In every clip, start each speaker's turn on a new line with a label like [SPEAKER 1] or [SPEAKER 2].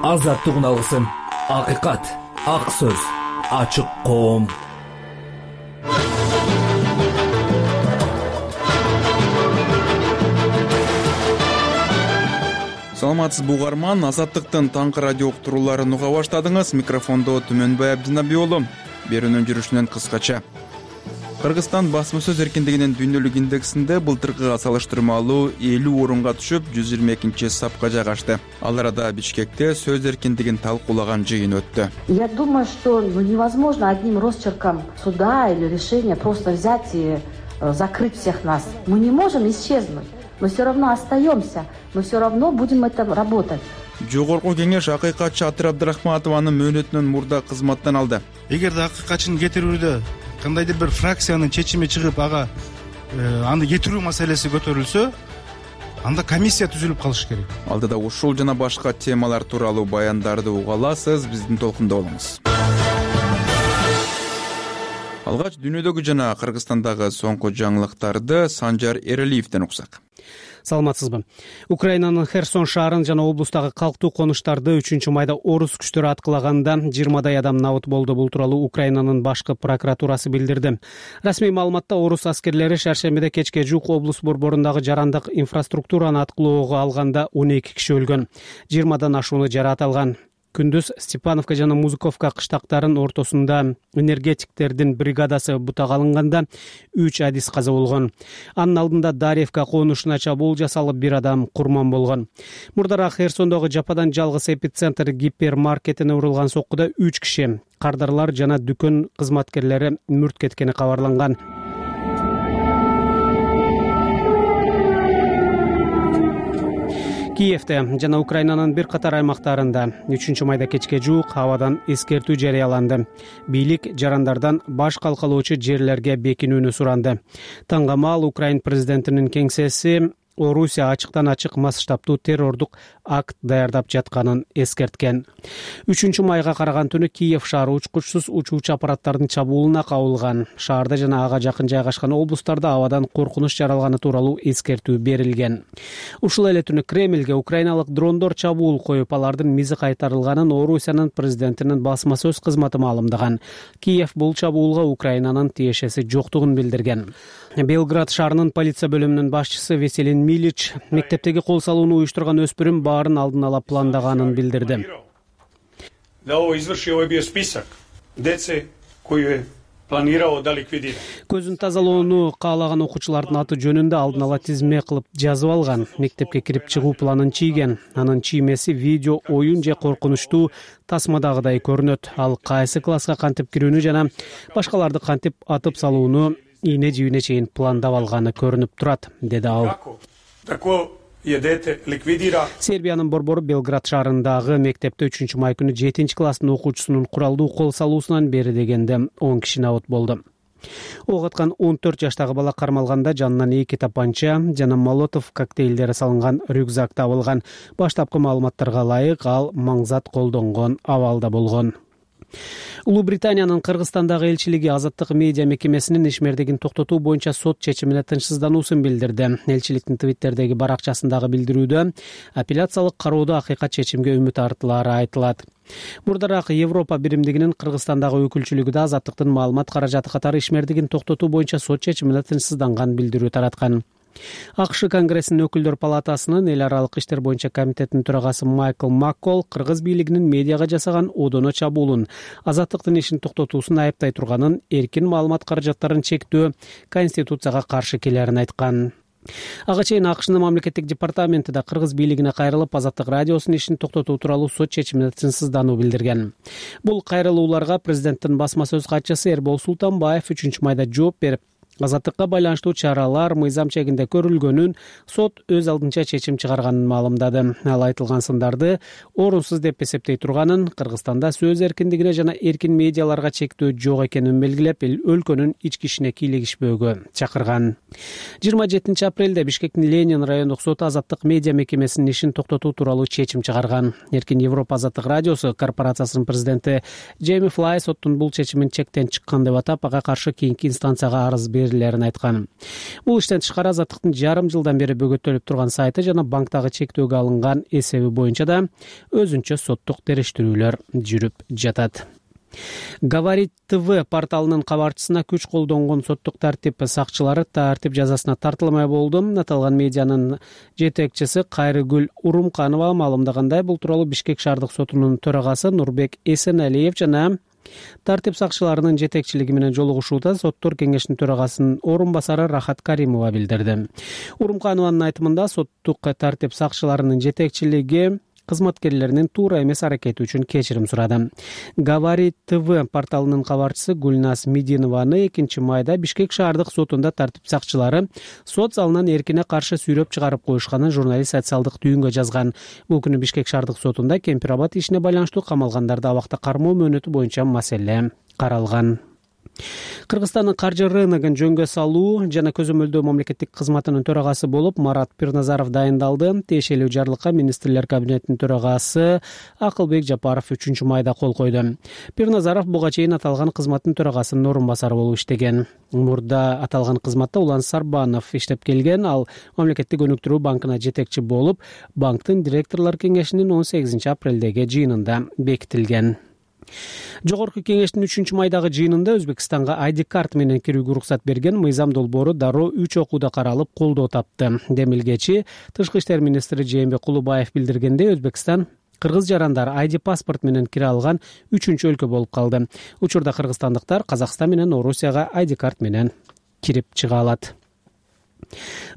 [SPEAKER 1] азаттыгын алгысың. Акыйкат, ак сөз, ачык коом.
[SPEAKER 2] Саламатсызбы угарман, Азаттыктын таңкы радио уктурууларын уга баштадыңыз. Микрофондо Түмөнбай Абдинабиулу. Берүүнүн жүрүшүнөн кыскача. Кыргызстан басма сөз эркиндигинин дүйнөлүк индексинде былтыркыга салыштырмалуу 50 орунга түшүп, 122 сапка жайгашты. Ал арада Бишкекте сөз эркиндигин талкуулаган жыйын өттү.
[SPEAKER 3] Я думаю, что невозможно одним росчерком суда или решения просто взять и закрыть всех нас. Мы не можем исчезнуть. Мы все равно остаемся. Мы все равно будем это работать.
[SPEAKER 2] Жогорку кеңеш акыйкатчы Атыр Абдрахматованын мөөнөтүнөн мурда кызматтан алды.
[SPEAKER 4] Эгерде акыйкатчыны кетирүүдө кандайдыр бир фракциянын чечими чыгып, аны кетирүү маселеси көтөрүлсө, анда комиссия түзүлүп калышы керек.
[SPEAKER 2] Алдыда ушул жана башка темалар тууралуу баяндарды уга аласыз, биздин толкунда болуңуз. Алгач дүйнөдөгү жана Кыргызстандагы соңку жаңылыктарды Санжар Эралиевден уксак.
[SPEAKER 5] Саламатсызбы. Украинанын Херсон шаарын жана облустагы калктуу конуштарды 3-майда орус күчтөрү аткылаганда 20дай адам набыт болду. Бул тууралуу Украинанын башкы прокуратурасы билдирди. Расмий маалыматта орус аскерлери шаршембиде кечке жук облус борборундагы жарандык инфраструктураны аткылоого алганда 12 киши өлгөн, 20дан ашууну жараат алган. Күндүз Степановка жана Музыковка кыштактарынын ортосунда энергетиктердин бригадасы бутак алынганда 3 адис каза болгон. Анын алдында Дарьевка конушуна чабуул жасалып, 1 адам курман болгон. Мурдараак Херсондогу жападан жалгыз эпицентр гипермаркетине урулган соккуда 3 киши, кардарлар жана дүкөн кызматкерлери мүрт кеткени кабарланган. Киевде жана Украинанын бир катар аймактарында 3-майда кечке жуук абадан эскертүү жарыяланды. Бийлик жарандардан баш калкалоочу жерлерге бекинүүнү суранды. Таңгамал Украин президентинин кеңсеси Орусия ачыктан ачык масштабтуу террордук акт даярдап жатканын эскерткен. 3-майга караган түнү Киев шаары учкучсуз учуучу аппараттардын чабуулуна кабылган. Шаарда жана ага жакын жайгашкан облустарда абадан коркунуч жаралганы тууралуу эскертүү берилген. Ушул эле түнү Кремльге украиналык дрондор чабуул коюп, алардын мизи кайтарылганын Орусиянын президентинин басма сөз кызматы маалымдаган. Киев бул чабуулга Украинанын тиешеси жоктугун билдирген. Белград шаарынын полиция бөлүмүнүн башчысы Веселин Милич мектептеги кол салууну уюштурган өспүрүм баарын алдын ала пландаганын билдирди. Көзүн тазалоону каалаган окуучулардын аты жөнүндө алдын ала тизме кылып жазып алган. Мектепке кирип чыгуу планын чийген. Анын чиймеси видео оюн же коркунучтуу тасмадагыдай көрүнөт. Ал кайсы класска кантип кирүүнү жана башкаларды кантип атып салууну ийне жибине чейин пландап алганы көрүнүп турат, деди ал. Сербиянын борбору Белград шаарындагы мектепте 3-май күнү 7-класстын окуучусунун куралдуу кол салуусунан бери дегенде 10 киши набыт болду. Ок аткан 14 жаштагы бала кармалганда жанынан 2 тапанча жана молотов коктейлдери салынган рюкзак табылган. Баштапкы маалыматтарга ылайык, ал маңзат колдонгон абалда болгон. Улуу Британиянын Кыргызстандагы элчилиги Азаттык медиа мекемесинин ишмердигин токтотуу боюнча сот чечимине тынчсыздануусун билдирди. Элчиликтин Твиттердеги баракчасындагы билдирүүдө апелляциялык кароодо акыйкат чечимге үмүт артылары айтылат. Мурдараак Европа биримдигинин Кыргызстандагы өкүлчүлүгү да Азаттыктын маалымат каражаты катары ишмердигин токтотуу боюнча сот чечимине тынчсызданган билдирүү тараткан. АКШ Конгрессинин өкүлдөр палатасынын эл аралык иштер боюнча комитетинин төрагасы Майкл Маккол кыргыз бийлигинин медиага жасаган одоно чабуулун, Азаттыктын ишин токтотуусун айыптай турганын, эркин маалымат каражаттарын чектөө Конституцияга каршы келерин айткан. Ага чейин АКШнын мамлекеттик департаменти да кыргыз бийлигине кайрылып, Азаттык радиосунун ишин токтотуу тууралуу сот чечимине тынчсыздануу билдирген. Бул кайрылууларга президенттин басма сөз катчысы Эрбол Султанбаев 3-майда жооп берип, Азаттыкка байланыштуу чаралар мыйзам чегинде көрүлгөнүн, сот өз алдынча чечим чыгарганын маалымдады. Ал айтылган сындарды орунсуз деп эсептей турганын, Кыргызстанда сөз эркиндигине жана эркин медиаларга чектөө жок экенин белгилеп, өлкөнүн ички ишине кийлигишпөөгө чакырган. 27 апрелде Бишкектин Ленин райондук соты Азаттык медиа мекемесинин ишин токтотуу тууралуу чечим чыгарган. Эркин Европа Азаттык радиосу корпорациясынын президенти Джейми Флай соттун бул чечимин чектен чыккан деп атап, ага каршы кийинки инстанцияга арыз беришти. нерселерин айткан. Бул иштен тышкары Азаттыктын жарым жылдан бери бөгөттөлүп турган сайты жана банктагы чектөөгө алынган эсеби боюнча да өзүнчө соттук териштирүүлөр жүрүп жатат. Говорит ТВ порталынын кабарчысына күч колдонгон соттук тартип сакчылары тартип жазасына тартылмай болду. Аталган медианын жетекчиси Кайрыгүл Урумканова маалымдагандай, бул тууралуу Бишкек шаардык сотунун төрагасы Нурбек Эсеналиев жана тартип сакчыларынын жетекчилиги менен жолугушууда соттор кеңешинин төрагасынын орун басары Рахат Каримова билдирди. Урумканованын айтымында соттук тартип сакчыларынын жетекчилиги кызматкерлеринин туура эмес аракети үчүн кечирим сурады. Говорит ТВ порталынын кабарчысы Гүлназ Мединованы 2-майда Бишкек шаардык сотунда тартип сакчылары сот залынан эркине каршы сүйрөп чыгарып коюшканын журналист социалдык түйүнгө жазган. Бул күнү Бишкек шаардык сотунда Кемпир-Абад ишине байланыштуу камалгандарды абакта кармоо мөөнөтү боюнча маселе каралган. Кыргызстандын каржы рыногун жөнгө салуу жана көзөмөлдөө мамлекеттик кызматынын төрагасы болуп Марат Пирназаров дайындалды. Тиешелүү жарлыкка министрлер кабинетинин төрагасы Акылбек Жапаров 3-майда кол койду. Пирназаров буга чейин аталган кызматтын төрагасынын орун басары болуп иштеген. Мурда аталган кызматта Улан Сарбанов иштеп келген. Ал Мамлекеттик өнүктүрүү банкына жетекчи болуп, банктын директорлор кеңешинин 18-апрелдеги жыйынында бекитилген. Жогорку кеңештин 3-майдагы жыйынында Өзбекстанга ID карт менен кирүүгө уруксат берген мыйзам долбоору дароо 3 окууда каралып колдоо тапты. Демилгечи Тышкы иштер министри Жээнбек Кулубаев билдиргендей, Өзбекстан кыргыз жарандар ID паспорт менен кире алган 3-өлкө болуп калды. Учурда кыргызстандыктар Казакстан менен Орусияга ID карт менен кирип чыга алат.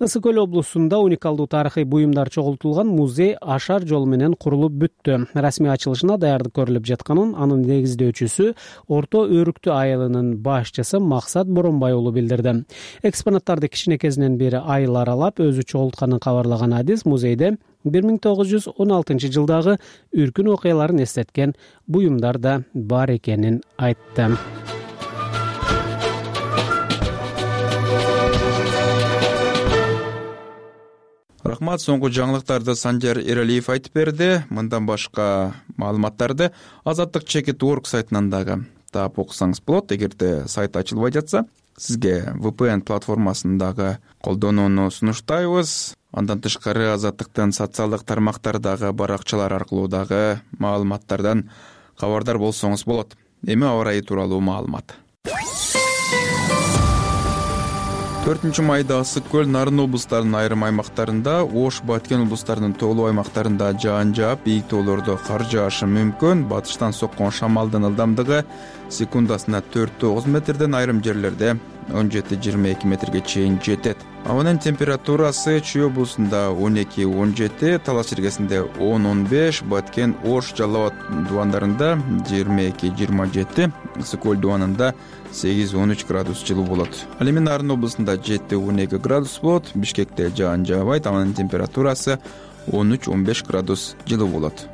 [SPEAKER 5] Ысык Көл облусунда уникалдуу тарыхый буюмдар чогултулган музей ашар жол менен курулуп бүттү. Расмий ачылышына даярдык көрүлүп жатканын анын негиздөөчүсү Орто Өрүктү айылынын башчысы Максат Боронбай уулу билдирди. Экспонаттарды кичинекезинен бери айыл аралап өзү чогултканын кабарлаган Адис музейде 1916-жылдагы үркүн окуяларын эстеткен буюмдар да бар экенин айтты.
[SPEAKER 2] Рахмат, соңку жаңылыктарды Санжар Эралиев айтып берди. Мындан башка маалыматтарды Азаттык.org сайтынан дагы таап окусаңыз болот. Эгерде сайт ачылбай жатса, сизге VPN платформасын дагы колдонууну сунуштайбыз. Андан тышкары Азаттыктын социалдык тармактардагы баракчалар аркылуу дагы маалыматтардан кабардар болсоңуз болот. Эми аба ырайы тууралуу маалымат. 4-майда Ысык Көл, Нарын облустарынын айрым аймактарында, Ош, Баткен облустарынын тоолуу аймактарында жаан жаап, бийик тоолордо кар жаашы мүмкүн. Батыштан соккон шамалдын ылдамдыгы секундасына 4-9 метрден, айрым жерлерде 17-22 метрге чейин жетет. Абанын температурасы Чүй облусунда 12-17, Талас жергесинде 10-15, Баткен, Ош, Жалал Абад дубандарында 22-27, Ысык Көл дубанында 8-13 градус жылуу болот. Ал эми Нарын облусунда 7-12 градус болот. Бишкекте жаан жаабайт, анын температурасы 13-15 градус жылуу болот.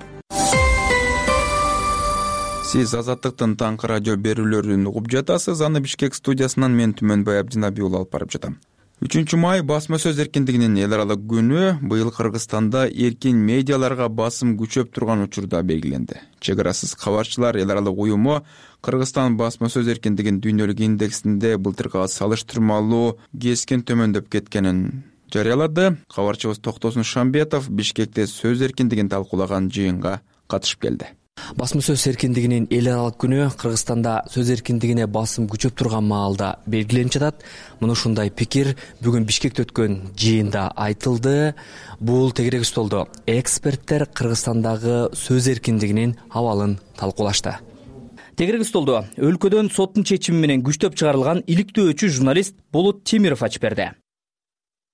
[SPEAKER 2] Сиз Азаттыктын таңкы радио берүүлөрүн угуп жатасыз. Аны Бишкек студиясынан мен Түмөнбай Абдинабий уулу алып барып жатам. 3-май басма сөз эркиндигинин эл аралык күнү. Быйыл Кыргызстанда эркин медиаларга басым күчөп турган учурда белгиленди. Чек арасыз кабарчылар эл аралык уюму Кыргызстан басма сөз эркиндигинин дүйнөлүк индексинде былтыркыга салыштырмалуу кескин төмөндөп кеткенин жарыялады. Кабарчыбыз Токтосун Шамбетов Бишкекте сөз эркиндигин талкуулаган жыйынга катышып келди.
[SPEAKER 6] Басма сөз эркиндигинин эл аралык күнү Кыргызстанда сөз эркиндигине басым күчөп турган маалда белгиленип жатат. Мына ушундай пикир бүгүн Бишкекте өткөн жыйында айтылды. Бул тегерек столдо эксперттер Кыргызстандагы сөз эркиндигинин абалын талкуулашты. Тегерек столдо өлкөдөн соттун чечими менен күчтөп чыгарылган иликтөөчү журналист Болот Темиров ачып берди.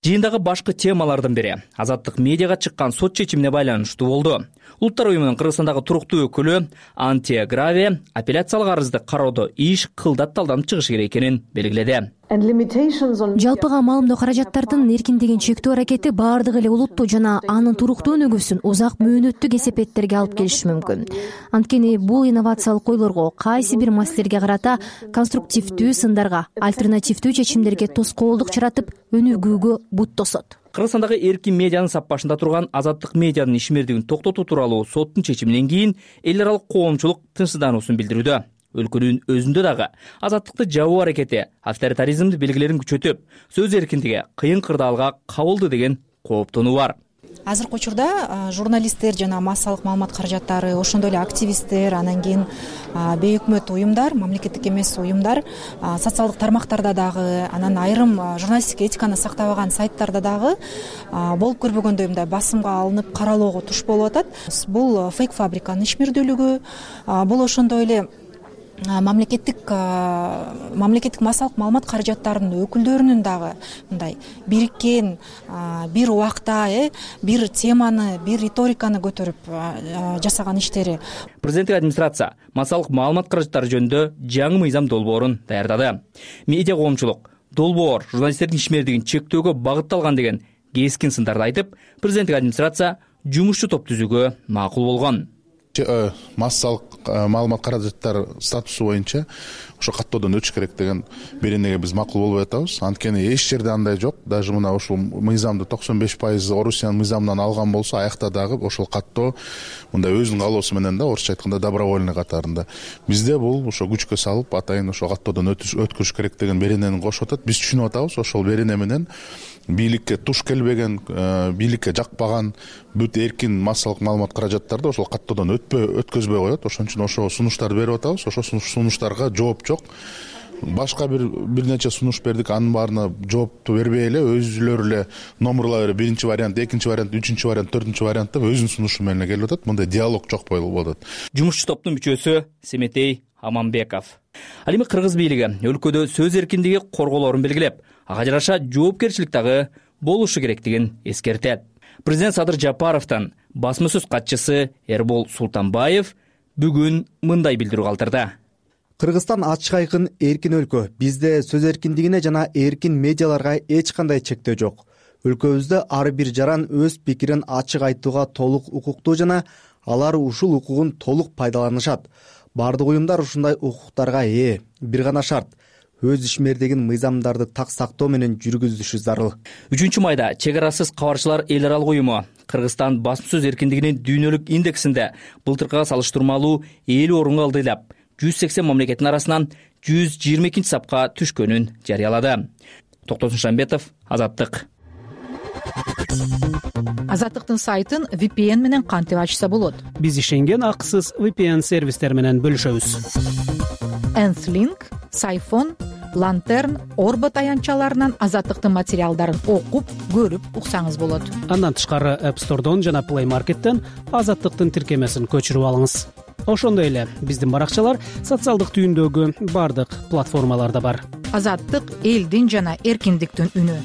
[SPEAKER 6] Жыйындагы башкы темалардын бири Азаттык медиага чыккан сот чечимине байланыштуу болду. Улуттар уюмунун Кыргызстандагы туруктуу өкүлү Антия Граве апелляциялык арызды кароодо иш кылдат талданып чыгышы керек экенин белгиледи.
[SPEAKER 7] Жалпыга маалымдоо каражаттардын эркиндигин чектөө аракети баардык эле улутту жана анын туруктуу өнүгүүсүн узак мөөнөттүү кесепеттерге алып келиши мүмкүн. Анткени бул инновациялык ойлорго, кайсы бир маселелерге карата конструктивдүү сындарга, альтернативдүү чечимдерге тоскоолдук жаратып, өнүгүүгө бут тосот.
[SPEAKER 6] Кыргызстандагы эркин медианын сап башында турган Азаттык медианын ишмердигин токтотуу тууралуу соттун чечиминен кийин эл аралык коомчулук тынчсыздануусун билдирүүдө.
[SPEAKER 8] өлкөнүн өзүндө дагы азаттыкты жабуу аракети авторитаризмди белгилерин күчөтүп, сөз эркиндиги кыйын кырдаалга кабылды деген кооптонуу бар.
[SPEAKER 9] Азыркы учурда журналисттер жана массалык маалымат каражаттары, ошондой эле активисттер, анан кийин бейөкмөт уюмдар, мамлекеттик эмес уюмдар, социалдык тармактарда дагы, анан айрым журналистик этиканы сактабаган сайттарда дагы болуп көрбөгөндөй мындай басымга алынып каралоого туш болуп атат. Бул фейк фабриканын ишмердүүлүгү, бул ошондой эле мамлекеттик массалык маалымат каражаттарынын өкүлдөрүнүн дагы мындай бириккен бир убакта бир теманы, бир риториканы көтөрүп жасаган иштери.
[SPEAKER 8] Президенттик администрация массалык маалымат каражаттары жөнүндө жаңы мыйзам долбоорун даярдады. Медиа коомчулук долбоор журналисттердин ишмердигин чектөөгө багытталган деген кескин сындарды айтып, президенттик администрация жумушчу топ түзүүгө макул болгон.
[SPEAKER 10] Массалык маалымат каражаттар статусу боюнча ошо каттоодон өтүш керек деген беренеге биз макул болуп атабыз. Анткени эч жерде андай жок. Даже мына ушул мыйзамды 95% Орусиянын мыйзамынан алган болсо, аякта дагы ошол каттоо мындай өзүнүн каалоосу менен да, орусча айтканда добровольный катарында. Бизде бул ошо күчкө салып, атайын ошо каттоодон өткөрүш керек деген беренени кошуп атат. Биз түшүнүп атабыз, ошол берене менен бийликке туш келбеген, бийликке жакпаган бүт эркин массалык маалымат каражаттарды ошол каттоодон өткөзбөй коет. Ошон үчүн ошо сунуштарды берип атабыз. Ошо сунуштарга жооп жок. Башка бир нече сунуш бердик, анын баарына жоопту бербей эле өзүлөрү эле номерлай берип, биринчи вариант, экинчи вариант, үчүнчү вариант, төртүнчү вариант деп өзүнүн сунушу менен келип атат. Мындай диалог жок болуп атат.
[SPEAKER 8] Жумушчу топтун мүчөсү Семетей Аманбеков. Ал эми кыргыз бийлиги өлкөдө сөз эркиндиги корголоорун белгилеп, ага жараша жоопкерчилик дагы болушу керектигин эскертет. Президент Садыр Жапаровдон басма сөз катчысы Эрбол Султанбаев бүгүн мындай билдирүү калтырды.
[SPEAKER 11] Кыргызстан ачык айкын эркин өлкө. Бизде сөз эркиндигине жана эркин медиаларга эч кандай чектөө жок. Өлкөбүздө ар бир жаран өз пикирин ачык айтууга толук укуктуу жана алар ушул укугун толук пайдаланышат. Бардык уюмдар ушундай укуктарга ээ. Бир гана шарт: өз ишмердигин мыйзамдарды так сактоо менен жүргүзүшү зарыл.
[SPEAKER 8] 3-майда чек арасыз кабарчылар эл аралык уюму Кыргызстан басма сөз эркиндигинин дүйнөлүк индексинде былтыркыга салыштырмалуу 50 орунга ылдыйлап, 180 мамлекеттин арасынан 122 сапка түшкөнүн жарыялады. Токтосун Шамбетов, Азаттык.
[SPEAKER 12] Азаттыктын сайтын VPN менен кантип ачса болот?
[SPEAKER 5] Биз ишенген акысыз VPN сервистер менен бөлүшөбүз.
[SPEAKER 12] Nth-Link, Сайфон, Lantern, Орбот аянтчаларынан Азаттыктын материалдарын окуп, көрүп уксаңыз болот.
[SPEAKER 5] Андан тышкары App Store'дон жана Play Market'тен Азаттыктын тиркемесин көчүрүп алыңыз. Ошондой эле биздин баракчалар социалдык түйүндөгү бардык платформаларда бар.
[SPEAKER 12] Азаттык элдин жана эркиндиктин үнү.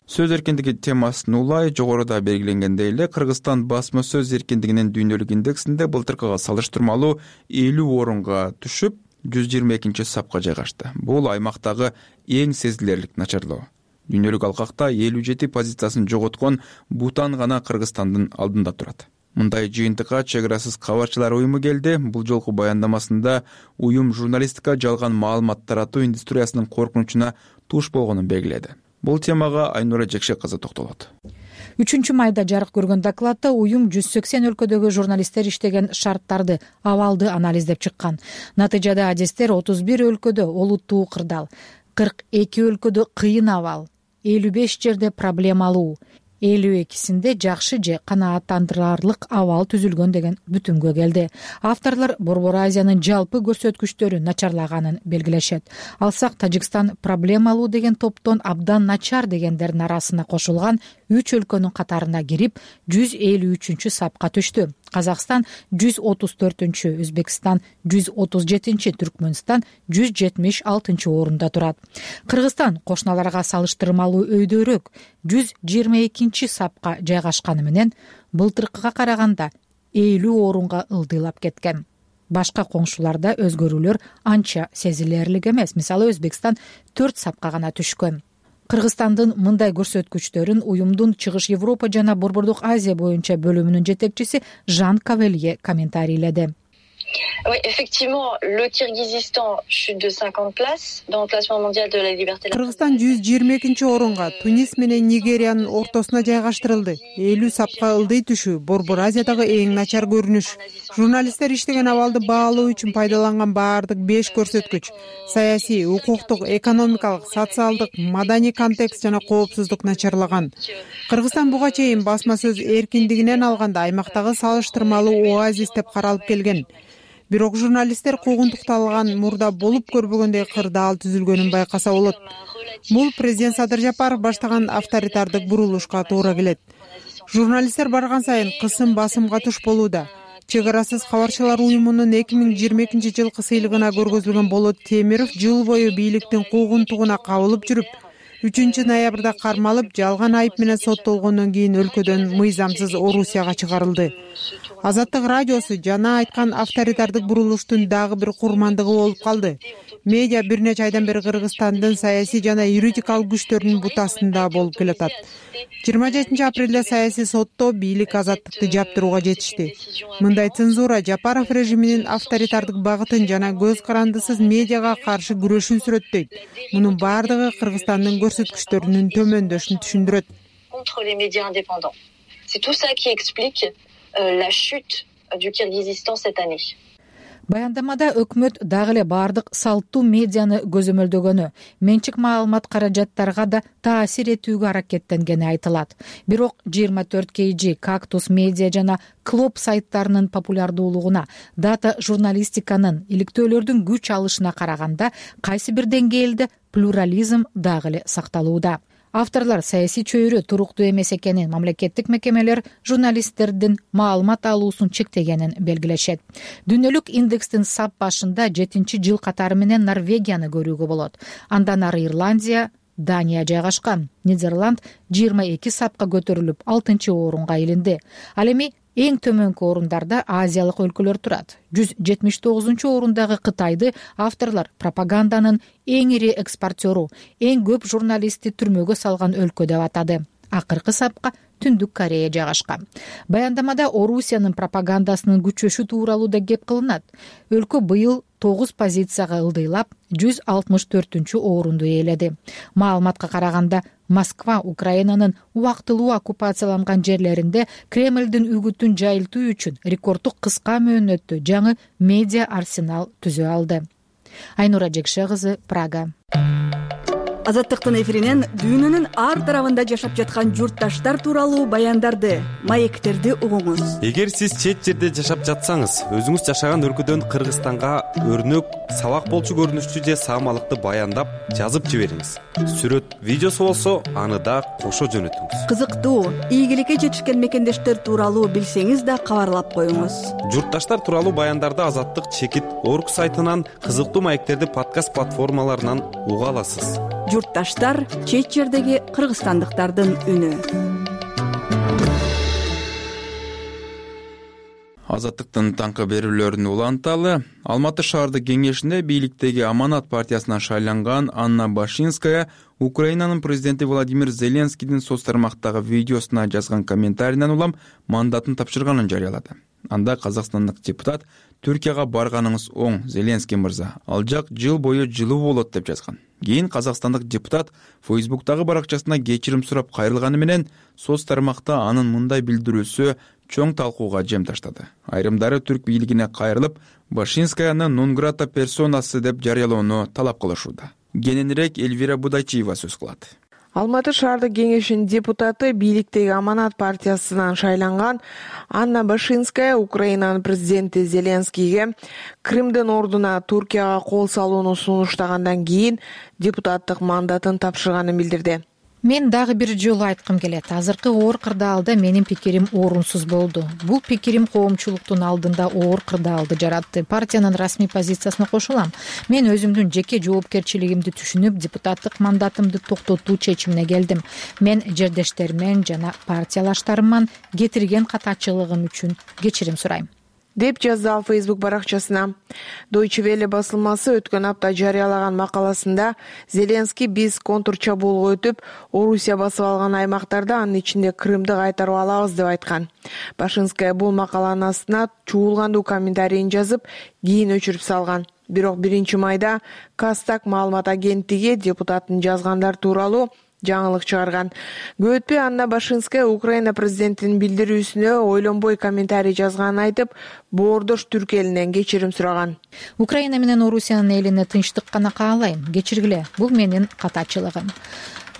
[SPEAKER 2] Сөз эркиндиги темасын улай жогоруда белгиленгендей эле Кыргызстан басма сөз эркиндигинин дүйнөлүк индексинде былтыркыга салыштырмалуу 50 орунга түшүп, 122 сапка жайгашты. Бул аймактагы эң сезилерлик начарлоо. Дүйнөлүк алкакта 57 позициясын жоготкон Бутан гана Кыргызстандын алдында турат. Мындай жыйынтыкка чек арасыз кабарчылар уюму келди. Бул жолку баяндамасында уюм журналистика жалган маалымат таратуу индустриясынын коркунучуна туш болгонун белгиледи. Бул темага Айнура Жекшек кызы токтолот.
[SPEAKER 12] 3-майда жарык көргөн докладта уюм 180 өлкөдөгү журналисттер иштеген шарттарды, абалды анализдеп чыккан. Натыйжада адистер 31 өлкөдө олуттуу кырдаал, 42 өлкөдө кыйын абал, 55 жерде проблемалуу, 52-синде жакшы же канааттандырарлык абал түзүлгөн деген бүтүмгө келди. Авторлор Борбор Азиянын жалпы көрсөткүчтөрү начарлаганын белгилешет. Алсак, Тажикстан проблемалуу деген топтон абдан начар дегендердин арасына кошулган 3 өлкөнүн катарына кирип, 153 сапка түштү. Казакстан 134-чү, Өзбекстан 137-чи, Түркмөнстан 176-чы орунда турат. Кыргызстан кошуналарга салыштырмалуу өйдөрөөк 122-чи сапка жайгашканы менен былтыркыга караганда 50 орунга ылдыйлап кеткен. Башка коңшуларда өзгөрүүлөр анча сезилерлик эмес. Мисалы, Өзбекстан 4 сапка гана түшкөн. Кыргызстандын мындай көрсөткүчтөрүн уюмдун Чыгыш Европа жана Борбордук Азия боюнча бөлүмүнүн жетекчиси Жан Кавелье комментарийледи.
[SPEAKER 13] Oui, effectivement, le Kirghizistan chute de 50 places dans le classement mondial de la liberté.
[SPEAKER 14] Кыргызстан 122-орунга Тунис менен Нигериянын ортосуна жайгаштырылды. 50 сапка ылдый түшүү Борбор Азиядагы эң начар көрүнүш. Журналисттер иштеген абалды баалоо үчүн пайдаланган баардык 5 көрсөткүч — саясий, укуктук, экономикалык, социалдык, маданий контекст жана коопсуздук начарлаган. Кыргызстан буга чейин басма сөз эркиндигинен алганда аймактагы салыштырмалуу оазис деп каралып келген. Бирок журналисттер куугунтукталган мурда болуп көрбөгөндөй кырдаал түзүлгөнүн байкаса болот. Бул президент Садыр Жапаров баштаган авторитардык бурулушка туура келет. Журналисттер барган сайын кысым басымга туш болууда. Чек арасыз кабарчылар уюмунун 2022-жылкы сыйлыгына көргөзүлгөн Болот Темиров жыл бою бийликтин куугунтугуна кабылып жүрүп, 3-ноябрда кармалып, жалган айып менен соттолгондон кийин өлкөдөн мыйзамсыз Орусияга чыгарылды. Азаттык радиосу жана айткан авторитардык бурулуштун дагы бир курмандыгы болуп калды. Медиа бир нече айдан бери Кыргызстандын саясий жана юридикалык күчтөрүнүн бутасында болуп келатат. 27 апрелде саясий сотто бийлик азаттыкты жаптырууга жетишти. Мындай цензура Жапаров режиминин авторитардык багытын жана көз карандысыз медиага каршы күрөшүн сүрөттөйт. Мунун бардыгы Кыргызстандын көрсөткүчтөрүнүн төмөндөшүн түшүндүрөт.
[SPEAKER 13] Contre les médias indépendants. C'est tout ça qui explique la chute du Kirghizistan cette année.
[SPEAKER 12] Баяндамада өкмөт дагы эле бардык салттуу медианы көзөмөлдөгөнү, менчик маалымат каражаттарга да таасир этүүгө аракеттенгени айтылат. Бирок 24 KG, Кактус медиа жана Клоп сайттарынын популярдуулугуна, дата журналистиканын, иликтөөлөрдүн күч алышына караганда кайсы бир деңгээлде плюрализм дагы эле сакталууда. Авторлор саясий чөйрө туруктуу эмес экенин, мамлекеттик мекемелер журналисттердин маалымат алуусун чектегенин белгилешет. Дүйнөлүк индекстин сап башында 7-жыл катары менен Норвегияны көрүүгө болот. Андан ары Ирландия, Дания жайгашкан. Нидерланд 22 сапка көтөрүлүп 6-орунга илинди. Ал эми эң төмөнкү орундарда азиялык өлкөлөр турат. 179-орундагы Кытайды авторлор пропаганданын эң ири экспортеру, эң көп журналистти түрмөгө салган өлкө деп атады. Акыркы сапка Түндүк Корея жайгашкан. Баяндамада Орусиянын пропагандасынын күчөшү тууралуу да кеп кылынат. Өлкө быйыл 9 позицияга ылдыйлап 164-орунду ээледи. Маалыматка караганда Москва Украинанын убактылуу оккупацияланган жерлеринде Кремлдин үгүтүн жайылтуу үчүн рекорддук кыска мөөнөттө жаңы медиа арсенал түзө алды. Айнура Жекше кызы, Прага.
[SPEAKER 15] Азаттыктын эфиринен дүйнөнүн ар тарабында жашап жаткан журтташтар тууралуу баяндарды, маектерди угуңуз.
[SPEAKER 16] Эгер сиз чет жерде жашап жатсаңыз, өзүңүз жашаган өлкөдөн Кыргызстанга өрнөк, сабак болчу көрүнүштүү же саамалыкты баяндап, жазып жибериңиз. Сүрөт, видеосу болсо, аны да кошо жөнөтүңүз.
[SPEAKER 15] Кызыктуу, ийгиликке жетишкен мекендештер тууралуу билсеңиз да кабарлап коюңуз.
[SPEAKER 16] Журтташтар тууралуу баяндарды Азаттык чекит Орг сайтынан, кызыктуу маектерди подкаст платформаларынан уга аласыз.
[SPEAKER 15] Журтташтар — чет жердеги кыргызстандыктардын үнү.
[SPEAKER 2] Азаттыктын таңкы берүүлөрүн уланталы. Алматы шаардык кеңешинде бийликтеги Аманат партиясынан шайланган Анна Башинская Украинанын президенти Владимир Зеленскийдин соц тармактагы видеосуна жазган комментарийинен улам мандатын тапшырганын жарыялады. Анда казакстандык депутат Түркияга барганыңыз оң, Зеленский мырза. Ал жак жыл бою жылуу болот деп жазган. Кийин казакстандык депутат Фейсбуктагы баракчасына кечирим сурап кайрылганы менен соц тармакта анын мындай билдирүүсү чоң талкууга жем таштады. Айрымдары түрк бийлигине кайрылып, Башинскаяны нон-грата персонасы деп жарыялоону талап кылышууда. Кененирээк Эльвира Будайчиева сөз кылат.
[SPEAKER 17] Алматы шаардык кеңешинин депутаты бийликтеги Аманат партиясынан шайланган Анна Башинская Украинанын президенти Зеленскийге Крымдын ордуна Туркияга кол салууну сунуштагандан кийин депутаттык мандатын тапшырганын билдирди.
[SPEAKER 12] Мен дагы бир жолу айткым келет. Азыркы оор кырдаалда менин пикирим орунсуз болду. Бул пикирим коомчулуктун алдында оор кырдаалды жаратты. Партиянын расмий позициясына кошулам. Мен өзүмдүн жеке жоопкерчилигимди түшүнүп, депутаттык мандатымды токтотуу чечимине келдим. Мен жердештеримден жана партиялаштарымдан кетирген катачылыгым үчүн кечирим сурайм.
[SPEAKER 17] деп жазды ал Facebook баракчасына. Deutsche Welle басылмасы өткөн апта жарыялаган макаласында Зеленский биз контур чабуулга өтүп, Орусия басып алган аймактарда, анын ичинде Крымды кайтарып алабыз деп айткан. Башинская бул макаланын астына чуулгандуу комментарийин жазып, кийин өчүрүп салган. Бирок 1-майда Кастак маалымат агенттиги депутаттын жазгандар тууралуу жаңылык чыгарган. Көп өтпөй Анна Башинская Украина президентинин билдирүүсүнө ойлонбой комментарий жазганын айтып, боордош түрк элинен кечирим сураган.
[SPEAKER 12] Украина менен Орусиянын элине тынчтык гана каалайм. Кечиргиле, бул менин катачылыгым.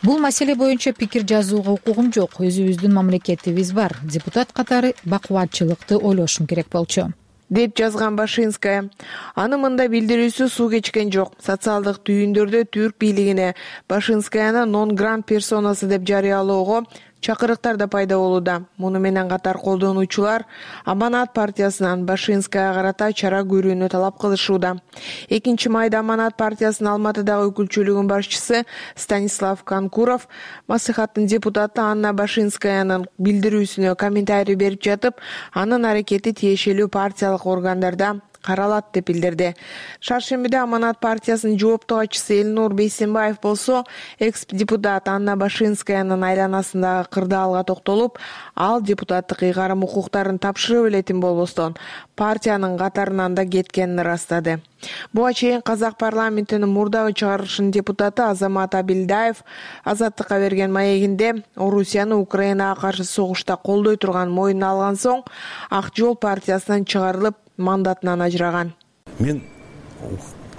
[SPEAKER 12] Бул маселе боюнча пикир жазууга укугум жок. Өзүбүздүн мамлекетибиз бар. Депутат катары бакубатчылыкты ойлошум керек болчу,
[SPEAKER 17] деп жазган Башинская. Аны мында билдирүүсү суу кечкен жок. Социалдык түйүндөрдө түрк бийлигине Башинскаяны нон-грант персонасы деп жарыялоого чакырыктар да пайда болууда. Муну менен катар колдонуучулар Аманат партиясынан Башинскаяга карата чара көрүүнү талап кылышууда. 2-майда Аманат партиясынын Алматыдагы өкүлчүлүгүнүн башчысы Станислав Конкуров маслихаттын депутаты Анна Башинскаянын билдирүүсүнө комментарий берип жатып, анын аракети тиешелүү партиялык органдарда каралат деп билдирди. Шаршембиде Аманат партиясынын жооптуу катчысы Элнур Бейсенбаев болсо, экс-депутат Анна Башинскаянын айланасындагы кырдаалга токтолуп, ал депутаттык ыйгарым укуктарын тапшырып элетин болбостон, партиянын катарынан да кеткенин ырастады. Буга чейин Казак парламентинин мурдагы чыгарылышынын депутаты Азамат Абилдаев Азаттыкка берген маегинде Орусияны Украинага каршы согушта колдой турган моюнуна алган соң, Ак жол партиясынан чыгарылып, мандатынан ажыраган.
[SPEAKER 18] Мен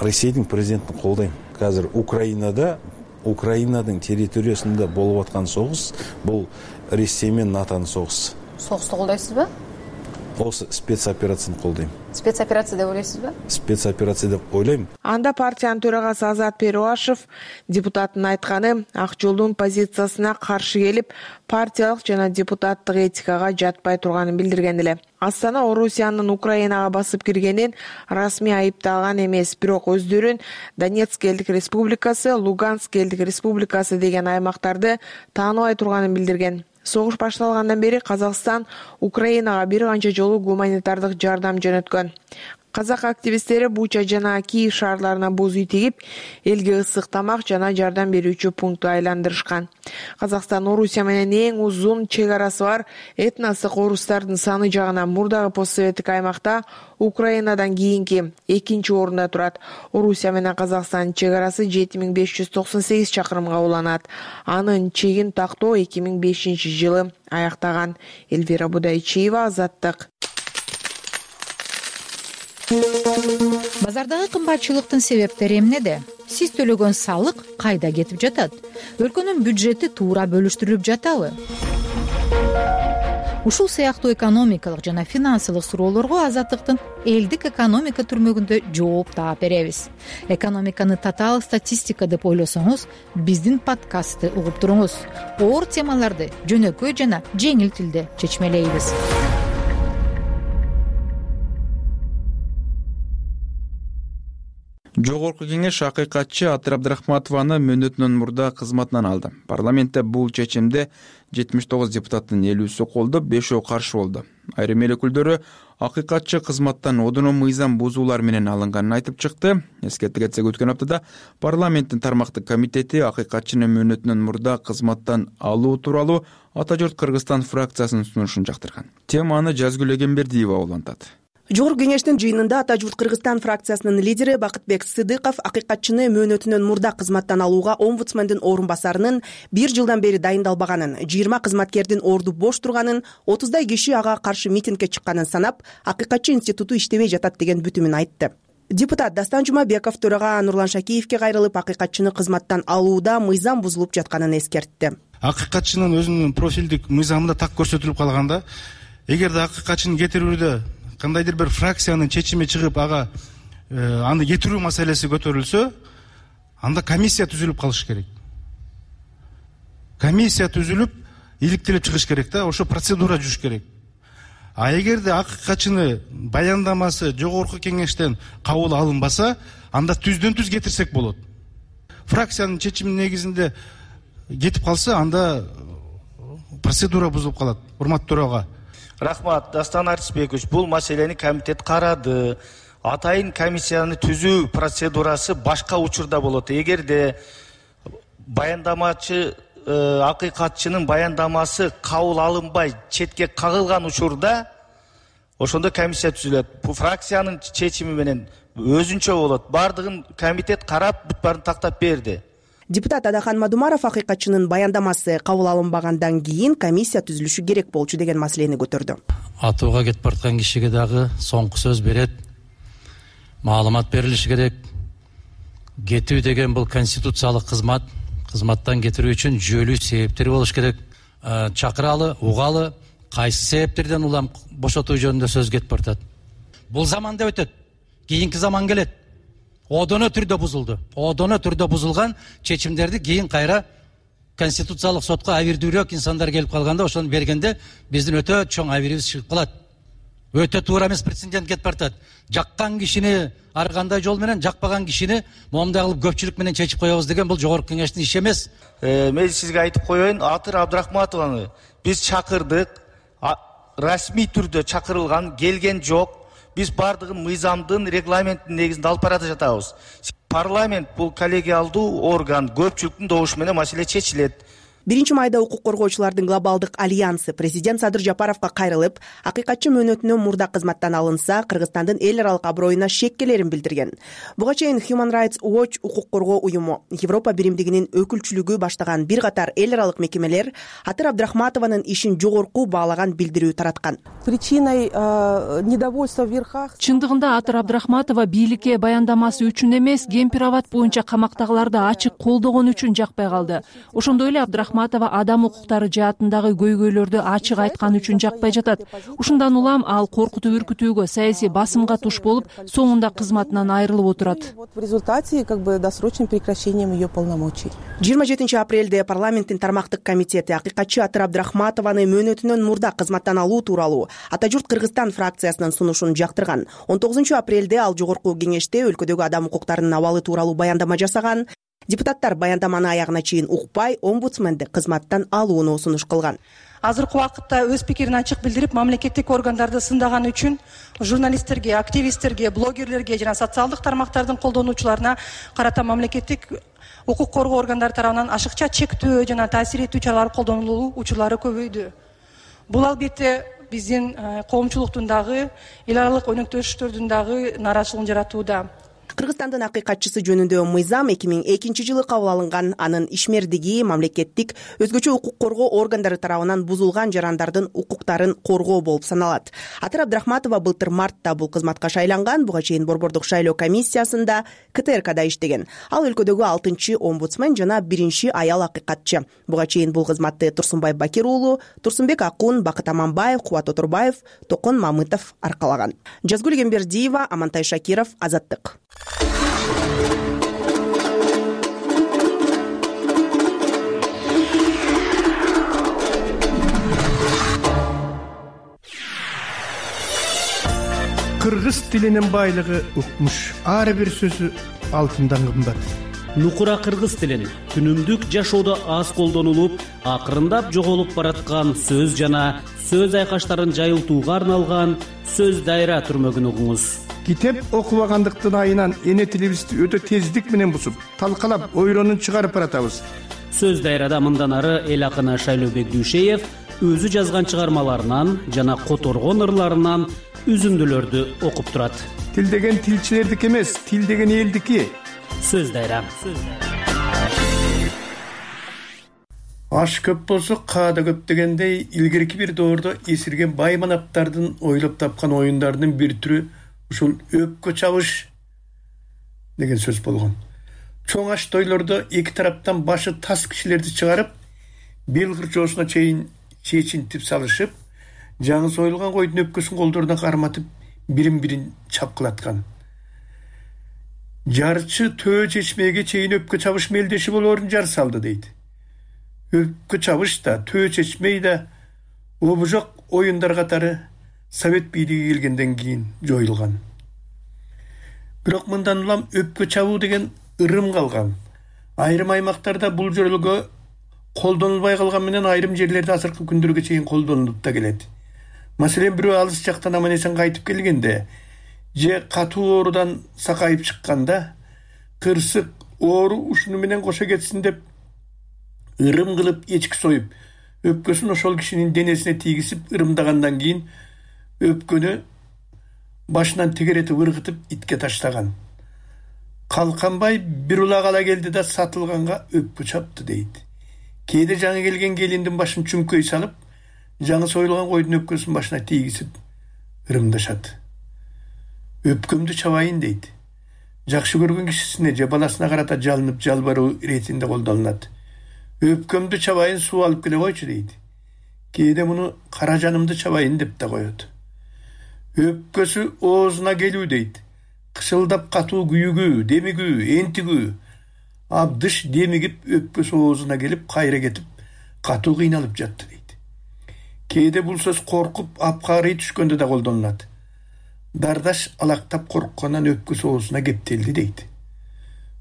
[SPEAKER 18] Россиянын президентин колдойм. Азыр Украинадын территориясында болуп аткан согуш бул Россия менен НАТОнун согушу.
[SPEAKER 19] Согушту колдойсузбу?
[SPEAKER 18] Осы спецоперацияны колдойм.
[SPEAKER 19] Спецоперация деп ойлойсузбу?
[SPEAKER 18] Спецоперация деп ойлойм.
[SPEAKER 17] Анда партиянын төрагасы Азат Перуашев депутаттын айтканы Ак жолдун позициясына каршы келип, партиялык жана депутаттык этикага жатпай турганын билдирген эле. Астана Орусиянын Украинага басып киргенин расмий айыпталган эмес, бирок өздөрүн Донецк элдик республикасы, Луганск элдик республикасы деген аймактарды тааныбай турганын билдирген. Согуш башталгандан бери Казакстан Украинага бир канча жолу гуманитардык жардам жөнөткөн. Казак активисттери Буча жана Киев шаарларына боз үй тигип, элге ысык тамак жана жардам берүүчү пунктту айландырышкан. Казакстан Орусия менен эң узун чек арасы бар этностук орустардын саны жагынан мурдагы постсоветтик аймакта Украинадан кийинки 2-орунда турат. Орусия менен Казакстандын чек арасы 7598 чакырымга уланат. Анын чегин тактоо 2005-жылы аяктаган. Эльвира Будайчиева, Азаттык.
[SPEAKER 12] Базардагы кымбатчылыктын себептери эмнеде? Сиз төлөгөн салык кайда кетип жатат? Өлкөнүн бюджети туура бөлүштүрүлүп жатабы? Ушул сыяктуу экономикалык жана финансылык суроолорго Азаттыктын элдик экономика түрмөгүндө жооп таап беребиз. Экономиканы татаал статистика деп ойлосоңуз, биздин подкастты угуп туруңуз. Оор темаларды жөнөкөй жана жеңил тилде чечмелейбиз.
[SPEAKER 2] Жогорку кеңеш акыйкатчы Атыр Абдрахматованы мөөнөтүнөн мурда кызматынан алды. Парламентте бул чечимде 79 депутаттын 50-сү колдоп, 5-өө каршы болду. Айрым эл өкүлдөрү акыйкатчы кызматтан одоно мыйзам бузуулар менен алынганын айтып чыкты. Эскерте кетсек, өткөн аптада парламенттин тармактык комитети акыйкатчыны мөөнөтүнөн мурда кызматтан алуу тууралуу Ата журт Кыргызстан фракциясынын сунушун жактырган. Теманы Жазгүл Эгембердиева улантат.
[SPEAKER 20] Жогорку кеңештин жыйынында Ата журт Кыргызстан фракциясынын лидери Бакытбек Сыдыков акыйкатчыны мөөнөтүнөн мурда кызматтан алууга омбудсмендин орун басарынын 1 жылдан бери дайындалбаганын, 20 кызматкердин орду бош турганын, 30дай киши ага каршы митингге чыкканын санап, акыйкатчы институту иштебей жатат деген бүтүмүн айтты. Депутат Дастан Жумабеков төрага Нурлан Шакиевке кайрылып, акыйкатчыны кызматтан алууда мыйзам бузулуп жатканын эскертти.
[SPEAKER 4] Акыйкатчынын өзүнүн профилдик мыйзамында так көрсөтүлүп калганда, эгерде акыйкатчыны кетирүүдө кандайдыр бир фракциянын чечими чыгып, ага аны кетирүү маселеси көтөрүлсө, анда комиссия түзүлүп калыш керек. Комиссия түзүлүп, иликтелип чыгыш керек да, ошо процедура жүрүш керек. А эгерде акыйкатчыны баяндамасы жогорку кеңештен кабыл алынбаса, анда түздөн түз кетирсек болот. Фракциянын чечиминин негизинде кетип калса, анда процедура бузулуп калат. Урматтуу төрага,
[SPEAKER 21] Рахмат, Дастан Арисбекович. Бул маселени комитет карады. Атайын комиссияны түзүү процедурасы башка учурда болот. Эгерде баяндамачы акыйкатчынын баяндамасы кабыл алынбай четке кагылган учурда ошондо комиссия түзүлөт. Бул фракциянын чечими менен өзүнчө болот. Бардыгын комитет карап, бүт баарын тактап берди.
[SPEAKER 20] Депутат Адахан Мадумаров акыйкатчынын баяндамасы кабыл алынбагандан кийин комиссия түзүлүшү керек болчу деген маселени көтөрдү.
[SPEAKER 22] Атууга кетип бараткан кишиге дагы соңку сөз берет. Маалымат берилиши керек. Кетүү деген бул конституциялык кызмат. Кызматтан кетирүү үчүн жүйөлүү себептер болуш керек. Чакыралы, угалы, кайсы себептерден улам бошотуу жөнүндө сөз кетип баратат. Бул заманда өтөт. Кийинки заман келет. Одоно түрдө бузулду. Одоно түрдө бузулган чечимдерди кийин кайра конституциялык сотко абийирдүүрөөк инсандар келип калганда ошону бергенде биздин өтө чоң абийирибиз чыгып калат. Өтө туура эмес прецедент кетип баратат. Жаккан кишини ар кандай жол менен, жакпаган кишини момундай кылып көпчүлүк менен чечип коебуз деген бул жогорку кеңештин иши эмес.
[SPEAKER 21] Мен сизге айтып коеюн, Атыр Абдрахматованы биз чакырдык. Расмий түрдө чакырылган, келген жок. Биз бардыгын мыйзамдын, регламенттин негизинде алып баратып жатабыз. Парламент бул коллегиалдуу орган, көпчүлүктүн добушу менен маселе чечилет.
[SPEAKER 20] 1-майда укук коргоочулардын глобалдык альянсы президент Садыр Жапаровго кайрылып, акыйкатчы мөөнөтүнөн мурда кызматтан алынса, Кыргызстандын эл аралык аброюна шеккелерин билдирген. Буга чейин Human Rights Watch укук коргоо уюму, Европа биримдигинин өкүлчүлүгү баштаган бир катар эл аралык мекемелер Атыр Абдрахматованын ишин жогорку баалаган билдирүү тараткан.
[SPEAKER 23] Причиной недовольства в верхах. Чындыгында Атыр Абдрахматова бийликке баяндамасы үчүн эмес, Гемпирават боюнча камактагыларды ачык колдогон үчүн жакпай калды. Ошондой эле Абдрахматова адам укуктары жаатындагы көйгөйлөрдү ачык айткан үчүн жакпай жатат. Ушундан улам ал коркутуп үркүтүүгө, саясий басымга туш болуп, соңунда кызматынан айрылып отурат. В результате досрочным прекращением ее полномочий.
[SPEAKER 20] 27 апрелде парламенттин тармактык комитети акыйкатчы Атыр Абдрахматованы мөөнөтүнөн мурда кызматтан алуу тууралуу Ата журт Кыргызстан фракциясынын сунушун жактырган. 19 апрелде ал жогорку кеңеште өлкөдөгү адам укуктарынын абалы тууралуу баяндама жасаган. Депутаттар баяндаманы аягына чейин укпай, омбудсменди кызматтан алууну сунуш кылган.
[SPEAKER 24] Азыркы убакытта өз пикирин ачык билдирип, мамлекеттик органдарды сындаган үчүн журналисттерге, активисттерге, блогерлерге жана социалдык тармактардын колдонуучуларына карата мамлекеттик укук коргоо органдары тарабынан ашыкча чектөө жана таасир этүү чаралары колдонулуу учурлары көбөйдү. Бул албетте биздин коомчулуктун дагы, эл аралык өнөктөштөрдүн дагы нааразычылыгын жаратууда.
[SPEAKER 20] Кыргызстандын акыйкатчысы жөнүндө мыйзам 2002 жылы кабыл алынган. Анын ишмердиги мамлекеттик өзгөчө укук коргоо органдары тарабынан бузулган жарандардын укуктарын коргоо болуп саналат. Атыр Абдрахматова былтыр мартта бул кызматка шайланган. Буга чейин Борбордук шайлоо комиссиясында КТРКда иштеген. Ал өлкөдөгү 6-омбудсмен жана 1 аял акыйкатчы. Буга чейин бул кызматты Турсунбай Бакир уулу, Турсунбек Акун, Бакыт Аманбаев, Кубат Отурбаев, Токон Мамытов аркалаган. Жазгүл Гембердиева, Амантай Шакиров, Азаттык.
[SPEAKER 25] Кыргыз тилинин байлыгы укмуш. Ар бир сөзү алтындан кымбат.
[SPEAKER 1] Нукура кыргыз тилин күнүмдүк жашоодо аз колдонулуп, акырындап жоголуп бараткан сөз жана сөз айкаштарын жайылтууга арналган сөз дайра түрмөгүн угуңуз.
[SPEAKER 25] Китеп окубагандыктын айынан эне тилибизди өтө тездик менен бузуп, талкалап, ойронун чыгарып баратабыз.
[SPEAKER 1] Сөз дайрада мындан ары эл акыны Шайлообек Дүйшеев өзү жазган чыгармаларынан жана которгон ырларынан үзүндүлөрдү окуп турат.
[SPEAKER 25] Тил деген тилчилердики эмес, тил деген элдики.
[SPEAKER 1] Сөз дайра.
[SPEAKER 25] Аш көп болсо каада көп дегендей, илгерки бир доордо эсирген бай манаптардын ойлоп тапкан оюндарынын бир түрү ушул өпкө чабыш деген сөз болгон. Чоң аш тойлордо эки тараптан башы тас кишилерди чыгарып, бел кырчоосуна чейин чечинтип салышып, жаңы союлган койдун өпкөсүн колдоруна карматып, бирин-бирин чапкылаткан. Жарчы төө чечмеге чейин өпкө чабыш мелдеши болоорун жар салды дейт. Өпкө чабыш да, төө чечмей да обужок оюндар катары Совет бийлиги келгенден кийин жоюлган. Бирок мындан улам өпкө чабуу деген ырым калган. Айрым аймактарда бул жөрөлгө колдонулбай калган менен айрым жерлерде азыркы күндөргө чейин колдонулуп да келет. Маселен, бирөө алыс жактан аман эсен кайтып келгенде же катуу оорудан сакайып чыкканда кырсык оору ушуну менен кошо кетсин деп ырым кылып эчки союп өпкөсүн ошол кишинин денесине тийгизип ырымдагандан кийин өпкөнү башынан тегеретип ыргытып итке таштаган. Калканбай бир улак ала келди да сатылганга өпкө чапты дейт. Кээде жаңы келген келиндин башын чүңкөй салып, жаңы союлган койдун өпкөсүн башына тийгизип ырымдашат. Өпкөмдү чабайын дейт. Жакшы көргөн кишисине же баласына карата жалынып жалбаруу иретинде колдонулат. Өпкөмдү чабайын, суу алып келе койчу дейт. Кээде муну кара жанымды чабайын деп да коет. Өпкөсү оозуна келүү дейт. Кышылдап катуу күйүгүү, демигүү, энтигүү. Абдыш демигип өпкөсү оозуна келип, кайра кетип, катуу кыйналып жатты дейт. Кээде бул сөз коркуп, апкарый түшкөндө да колдонулат. Дардаш алактап корккондан өпкөсү оозуна кептелди дейт.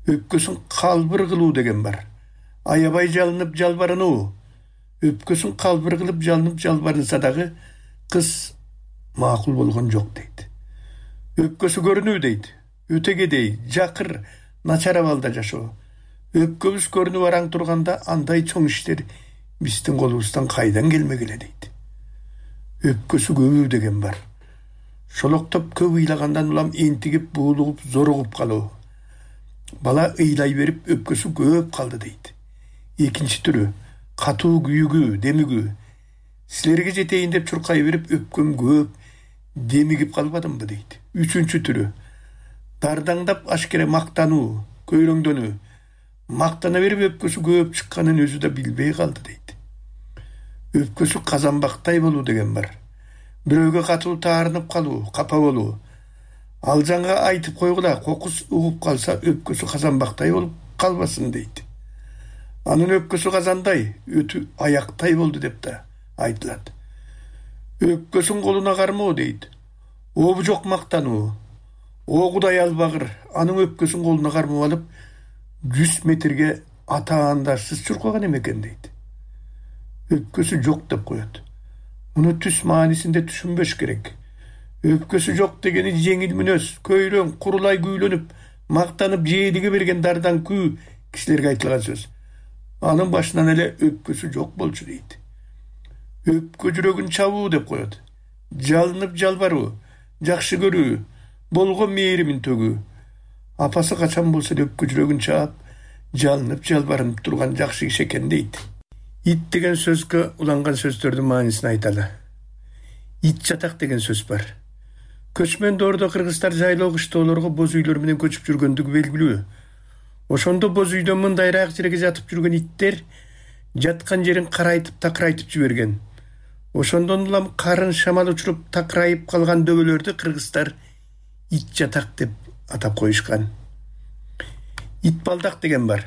[SPEAKER 25] Өпкөсүн калбыр кылуу деген бар. Аябай жалынып жалбарынуу. Өпкөсүн калбыр кылып жалынып жалбарынса дагы кыз макул болгон жок дейт. Өпкөсү көрүнүү дейт. Өтө кедей, жакыр, начар абалда жашоо. Өпкөбүз көрүнүп араң турганда андай чоң иштер биздин колубуздан кайдан келмегиле дейт. Өпкөсү көбүү деген бар. Шолоктоп көп ыйлагандан улам энтигип, буулугуп, зоругуп калуу. Бала ыйлай берип өпкөсү көп калды дейт. Экинчи түрү катуу күйүгүү, демигүү. Силерге жетейин деп чуркай берип өпкөм көп, демигип калбадымбы дейт. Үчүнчү түрү дардаңдап ашкере мактануу, көйрөңдөнүү. Мактана берип өпкөсү көп чыкканын өзү да билбей калды дейт. Өпкөсү казанбактай болуу деген бар. Бирөөгө катуу таарынып калуу, капа болуу. Ал жаңга айтып койгула, кокус угуп калса өпкөсү казанбактай болуп калбасын дейт. Анын өпкөсү казандай, өтү аяктай болду деп да айтылат. Өпкөсүн колуна кармоо дейт. Обу жок мактануу. О Кудай албагыр, анын өпкөсүн колуна кармап алып 100 метрге атаандашсыз чуркаган эмекен дейт. Өпкөсү жок деп коет. Муну түс маанисинде түшүнбөш керек. Өпкөсү жок дегени жеңил мүнөз, көйрөң, курулай күүлөнүп, мактанып жээлиге берген дардан күү кишилерге айтылган сөз. Анын башынан эле өпкөсү жок болчу дейт. Өпкө жүрөгүн чабуу деп коет. Жалынып жалбаруу, жакшы көрүү, болгон мээримин төгүү. Апасы качан болсо да өпкө жүрөгүн чаап, жалынып жалбарынып турган жакшы киши экен дейт. Ит деген сөзгө уланган сөздөрдүн маанисин айталы. Ит жатак деген сөз бар. Көчмөн доордо кыргыздар жайлоо кыштоолорго боз үйлөр менен көчүп жүргөндүгү белгилүү. Ошондо боз үйдөн мындайраак жерге жатып жүргөн иттер жаткан жерин карайтып такырайтып жиберген. Ошондон улам карын шамал учуруп такырайып калган дөбөлөрдү кыргыздар ит жатак деп атап коюшкан. Ит балдак деген бар.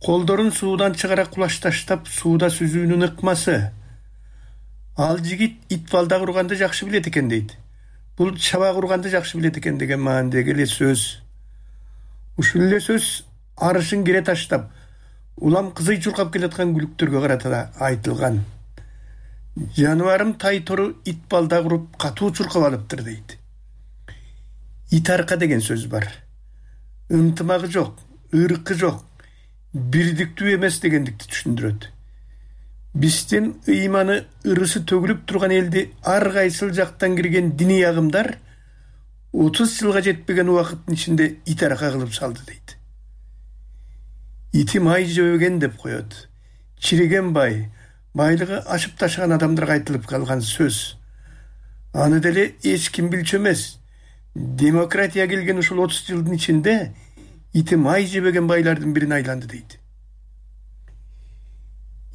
[SPEAKER 25] Колдорун суудан чыгара кулашташтап сууда сүзүүнүн ыкмасы. Ал жигит ит балдаг урганды жакшы билет экен дейт. Бул чабак урганды жакшы билет экен деген маанидеги эле сөз. Ушул эле сөз арышын кере таштап, улам кызый чуркап келаткан күлүктөргө карата да айтылган. Жаныбарым тай тору ит балдаг уруп катуу чуркап алыптыр дейт. Ит арка деген сөз бар. Ынтымагы жок, ыркы жок, бирдиктүү эмес дегендикти түшүндүрөт. Биздин ыйманы ырысы төгүлүп турган элди ар кайсыл жактан кирген диний агымдар 30 жылга жетпеген убакыттын ичинде ит арка кылып салды дейт. Ити май жебеген деп коет. Чириген бай, байлыгы ашып ташыган адамдарга айтылып калган сөз. Аны деле эч ким билчү эмес. Демократия келген ушул 30 жылдын ичинде ити май жебеген байлардын бирине айланды дейт.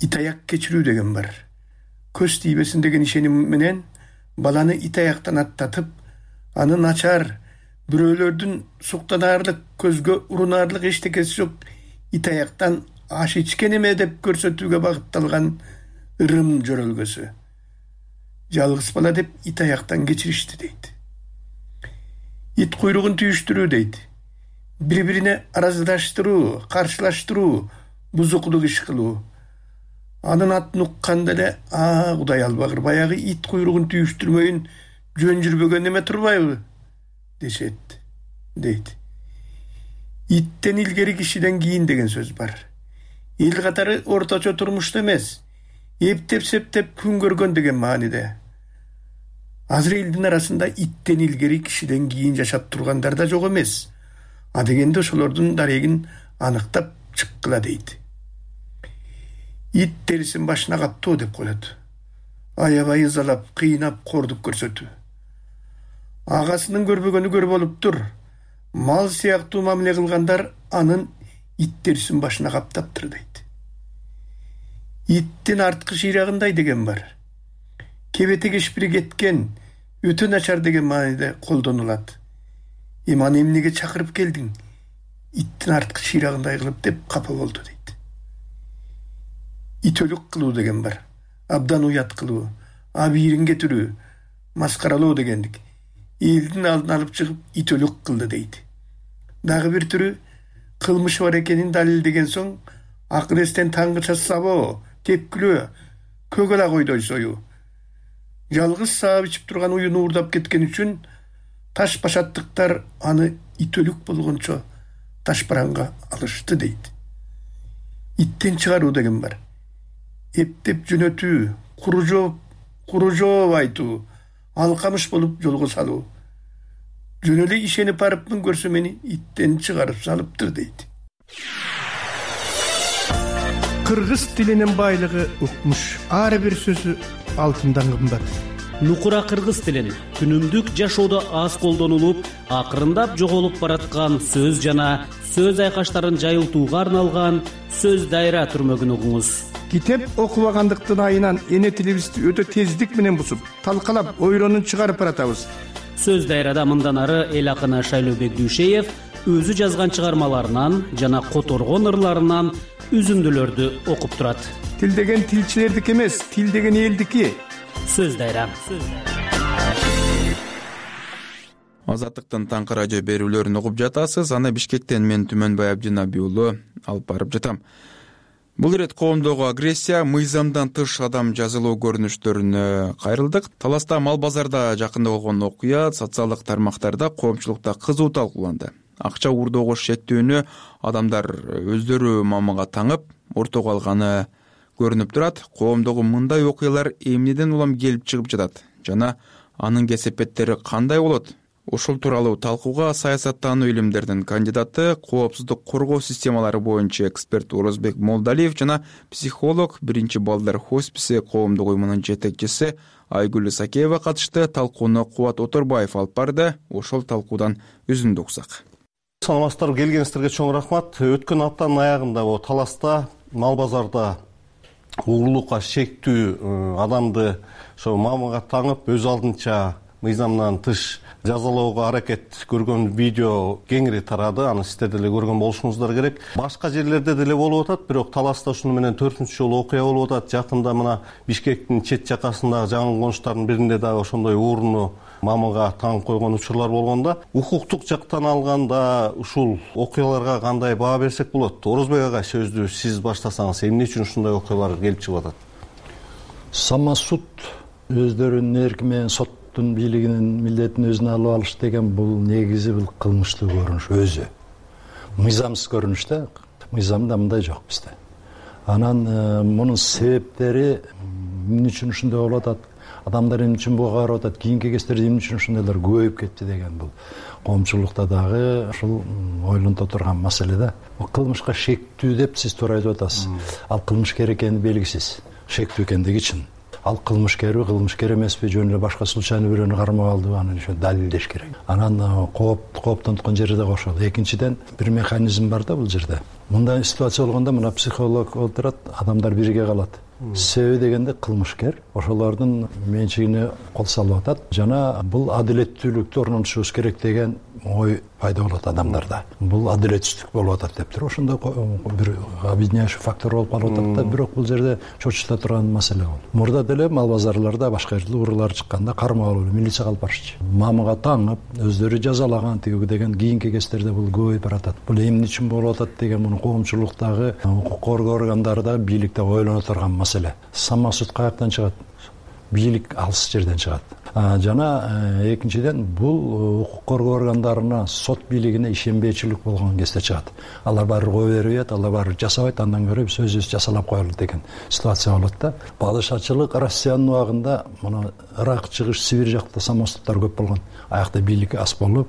[SPEAKER 25] Ит аяк кечирүү деген бар. Көз тийбесин деген ишеним менен баланы ит аяктан аттатып, аны начар, бирөөлөрдүн суктанаарлык, көзгө урунарлык эчтекеси жок ит аяктан аш ичкен эме деп көрсөтүүгө багытталган ырым жөрөлгөсү. Жалгыз бала деп ит аяктан кечиришти дейт. Ит куйругун түйүштүрүү дейт. Бири-бирине араздаштыруу, каршылаштыруу, бузуклук иш кылуу. Анын атын укканда эле Кудай албагыр, баягы ит куйругун түйүштүрмөйүн жөн жүрбөгөн эме турбайбы дешет дейт. Иттен илгери кишиден кийин деген сөз бар. Эл катары орточо турмушта эмес, эптеп септеп күн көргөн деген мааниде. Азыр элдин арасында иттен илгери кишиден кийин жашап тургандар да жок эмес. А дегенде ошолордун дарегин аныктап чыккыла дейт. Ит терисин башына каптуу деп коет. Аябай ызалап, кыйнап, кордук көрсөтүү. Агасынын көрбөгөнү көр болуптур. Мал сыяктуу мамиле кылгандар анын ит терисин башына каптаптыр дейт. Иттин арткы шыйрагындай деген бар. Кебете кешпири кеткен, өтө начар деген мааниде колдонулат. Аны эмнеге чакырып келдиң? Иттин арткы шыйрагындай кылып деп капа болду дейт. Итөлүк кылуу деген бар. Абдан уят кылуу, абийирин кетирүү, маскаралоо дегендик. Элдин алдын алып чыгып итөлүк кылды дейт. Дагы бир түрү кылмышы бар экенин далилдеген соң акыр эстен таңгыча сабоо, тепкилөө, көгөла койдой союу. Жалгыз саап ичип турган уюну уурдап кеткен үчүн таш башаттыктар аны итөлүк болгончо таш бараңга алышты дейт. Иттен чыгаруу деген бар. Эптеп жөнөтүү, куру жооп айтуу, алкамыш болуп жолго салуу. Жөн эле ишенип барыпмын, көрсө мени иттен чыгарып салыптыр дейт.
[SPEAKER 3] Кыргыз тилинин байлыгы укмуш. Ар бир сөзү алтындан кымбат.
[SPEAKER 1] Нукура кыргыз тилин күнүмдүк жашоодо аз колдонулуп, акырындап жоголуп бараткан сөз жана сөз айкаштарын жайылтууга арналган сөз дайра түрмөгүн угуңуз.
[SPEAKER 3] Китеп окубагандыктын айынан эне тилибизди өтө тездик менен бузуп, талкалап, ойронун чыгарып баратабыз.
[SPEAKER 1] Сөз дайрада мындан ары эл акыны Шайлообек Дүйшеев өзү жазган чыгармаларынан жана которгон ырларынан үзүндүлөрдү окуп турат.
[SPEAKER 3] Тил деген тилчилердики эмес, тил деген элдики.
[SPEAKER 1] Сөз дайра.
[SPEAKER 2] Азаттыктын таңкы радио берүүлөрүн угуп жатасыз. Аны Бишкектен мен Түмөнбай Абдинаби уулу алып барып жатам. Бул ирет коомдогу агрессия, мыйзамдан тыш адам жазылуу көрүнүштөрүнө кайрылдык. Таласта мал базарда жакында болгон окуя социалдык тармактарда, коомчулукта кызуу талкууланды. Акча уурдоого шектүүнү адамдар өздөрү мамага таңып, ортого алганы көрүнүп турат. Коомдогу мындай окуялар эмнеден улам келип чыгып жатат жана анын кесепеттери кандай болот? Ушул тууралуу талкууга саясаттануу илимдеринин кандидаты, коопсуздук коргоо системалары боюнча эксперт Орозбек Молдалиев жана психолог, биринчи балдар хосписи коомдук уюмунун жетекчиси Айгүл Исакеева катышты. Талкууну Кубат Оторбаев алып барды. Ошол талкуудан үзүндү уксак.
[SPEAKER 6] Саламатсыздарбы, келгениңиздерге чоң рахмат. Өткөн аптанын аягында Таласта мал базарда угулукка шектүү адамды ошо мамага таңып, өз алдынча мыйзамдан тыш жазалоого аракет көргөн видео кеңири тарады. Аны сиздер деле көргөн болушуңуздар керек. Башка жерлерде деле болуп атат, бирок Таласта ушуну менен 4-үнчү жолу окуя болуп атат. Жакында мына Бишкектин чет жакасындагы жаңы конуштардын биринде дагы ошондой ууруну мамага таңып койгон учурлар болгондо, укуктук жактан алганда ушул окуяларга кандай баа берсек болот? Орозбек ага, сөздү сиз баштасаңыз, эмне үчүн ушундай окуялар келип чыгып атат?
[SPEAKER 7] Самосуд өздөрүнүн эрки менен соттун бийлигинин милдетин өзүнө алып алыш деген бул негизи бул кылмыштуу көрүнүш өзү. Мыйзамсыз көрүнүш да, мыйзамда мындай жок бизде. Анан мунун себептери эмне үчүн ушундай болуп атат? Адамдар эмне үчүн буга карап атат? Кийинки кездерде эмне үчүн ушундайлар көбөйүп кетти деген бул коомчулукта дагы ушул ойлонто турган маселе да. Кылмышка шектүү деп сиз туура айтып атасыз. Ал кылмышкер экени белгисиз. Шектүү экендиги чын. Ал кылмышкерби, кылмышкер эмеспи, жөн эле башка случайный бирөөнү кармап алдыбы, аны ошо далилдеш керек. Анан кооптонткон жери да ошол. Экинчиден бир механизм бар да бул жерде. Мындай ситуация болгондо мына психолог отурат, адамдар бирге калат. Себеби дегенде кылмышкер ошолордун менчигине кол салып атат жана бул адилеттүүлүктү орнотушубуз керек деген ой пайда болот адамдарда. Бул адилетсиздик болуп атат дептир. Ошондой бир объединяющий фактор болуп калып атат да, бирок бул жерде чочута турган маселе бул. Мурда деле мал базарларда башка жерде уруулар чыкканда кармалып милицияга алып барчу. Мамыга таңып, өздөрү жазалаган тиги деген кийинки кездерде бул көбөйүп баратат. Бул эмне үчүн болуп атат деген муну коомчулуктагы укук коргоо органдары, бийликте ойлоно турган маселе. Самосуд каяктан чыгат? Бийлик алыс жерден чыгат. Жана экинчиден бул укук коргоо органдарына, сот бийлигине ишенбейчилик болгон кезде чыгат. Алар баары кое бербейт, алар баары жасабайт, андан көрө биз өзүбүз жасалап коелу деген ситуация болот да. Падышачылык Россиянын убагында муну Ирак, чыгыш Сибирь жакта самосудтар көп болгон. Аякта бийлик аз болуп,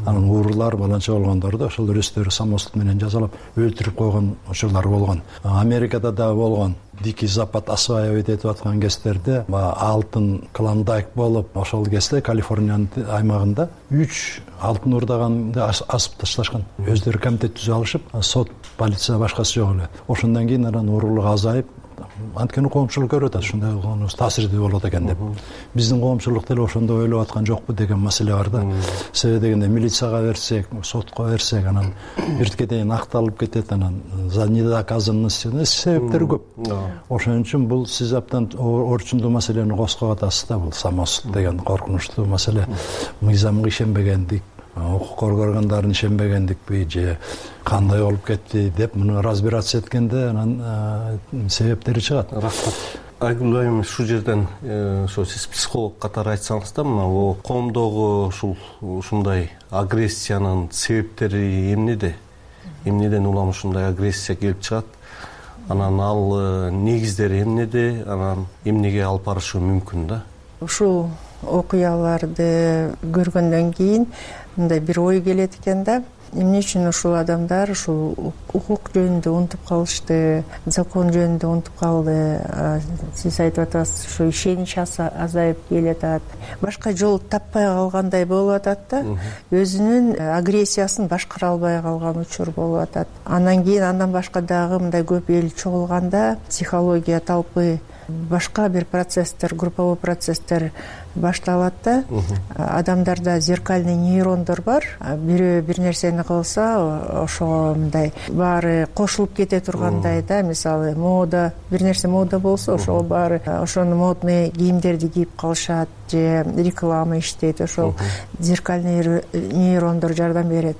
[SPEAKER 7] анан уурулар баланча болгондорду ошол өздөрү самосуд менен жазалап өлтүрүп койгон учурлар болгон. Америкада да болгон. Дикий Запад осваивать этип аткан кездерде алтын клондайк болуп, ошол кезде Калифорниянын аймагында 3 алтын уурдаганды асып ташташкан. Өздөрү комитет түзүп алышып, сот, полиция башкасы жок эле. Ошондон кийин анан уурулук азайып, анткени коомчулук көрүп атат, ушундай таасирдүү болот экен деп. Биздин коомчулук деле ошондой ойлоп аткан жокпу деген маселе бар да. Себеби дегенде милицияга берсек, сотко берсек, анан биртке дейин акталып кетет, анан за недоказанность себептери көп. Ошон үчүн бул сиз абдан орчундуу маселени козгоп атасыз да, бул самосуд деген коркунучтуу маселе. Мыйзамга ишенбегендик, укук коргоо органдарына ишенбегендикпи же кандай болуп кетти деп муну разбираться эткенде анан себептери чыгат.
[SPEAKER 6] Рахмат. Айгүл айым, ушул жерден ошо сиз психолог катары айтсаңыз да, мына коомдогу ушундай агрессиянын себептери эмнеде? Эмнеден улам ушундай агрессия келип чыгат? Анан ал негиздери эмнеде? Анан эмнеге алып барышы мүмкүн да?
[SPEAKER 5] Ушул окуяларды көргөндөн кийин мындай бир ой келет экен да. Эмне үчүн ушул адамдар ушул укук жөнүндө унутуп калышты, закон жөнүндө унутуп калды. Сиз айтып атасыз, ушу ишенич азайып келатат. Башка жол таппай калгандай болуп атат да. Өзүнүн агрессиясын башкара албай калган учур болуп атат. Андан кийин андан башка дагы мындай көп эл чогулганда психология талпы, башка бир процесстер, групповой процесстер башталат да. Адамдарда зеркальный нейрондор бар. Бирөө бир нерсени кылса, ошого мындай баары кошулуп кете тургандай да. Мисалы, мода, бир нерсе мода болсо, ошого баары ошону модный кийимдерди кийип калышат же реклама иштейт. Ошол зеркальный нейрондор жардам берет.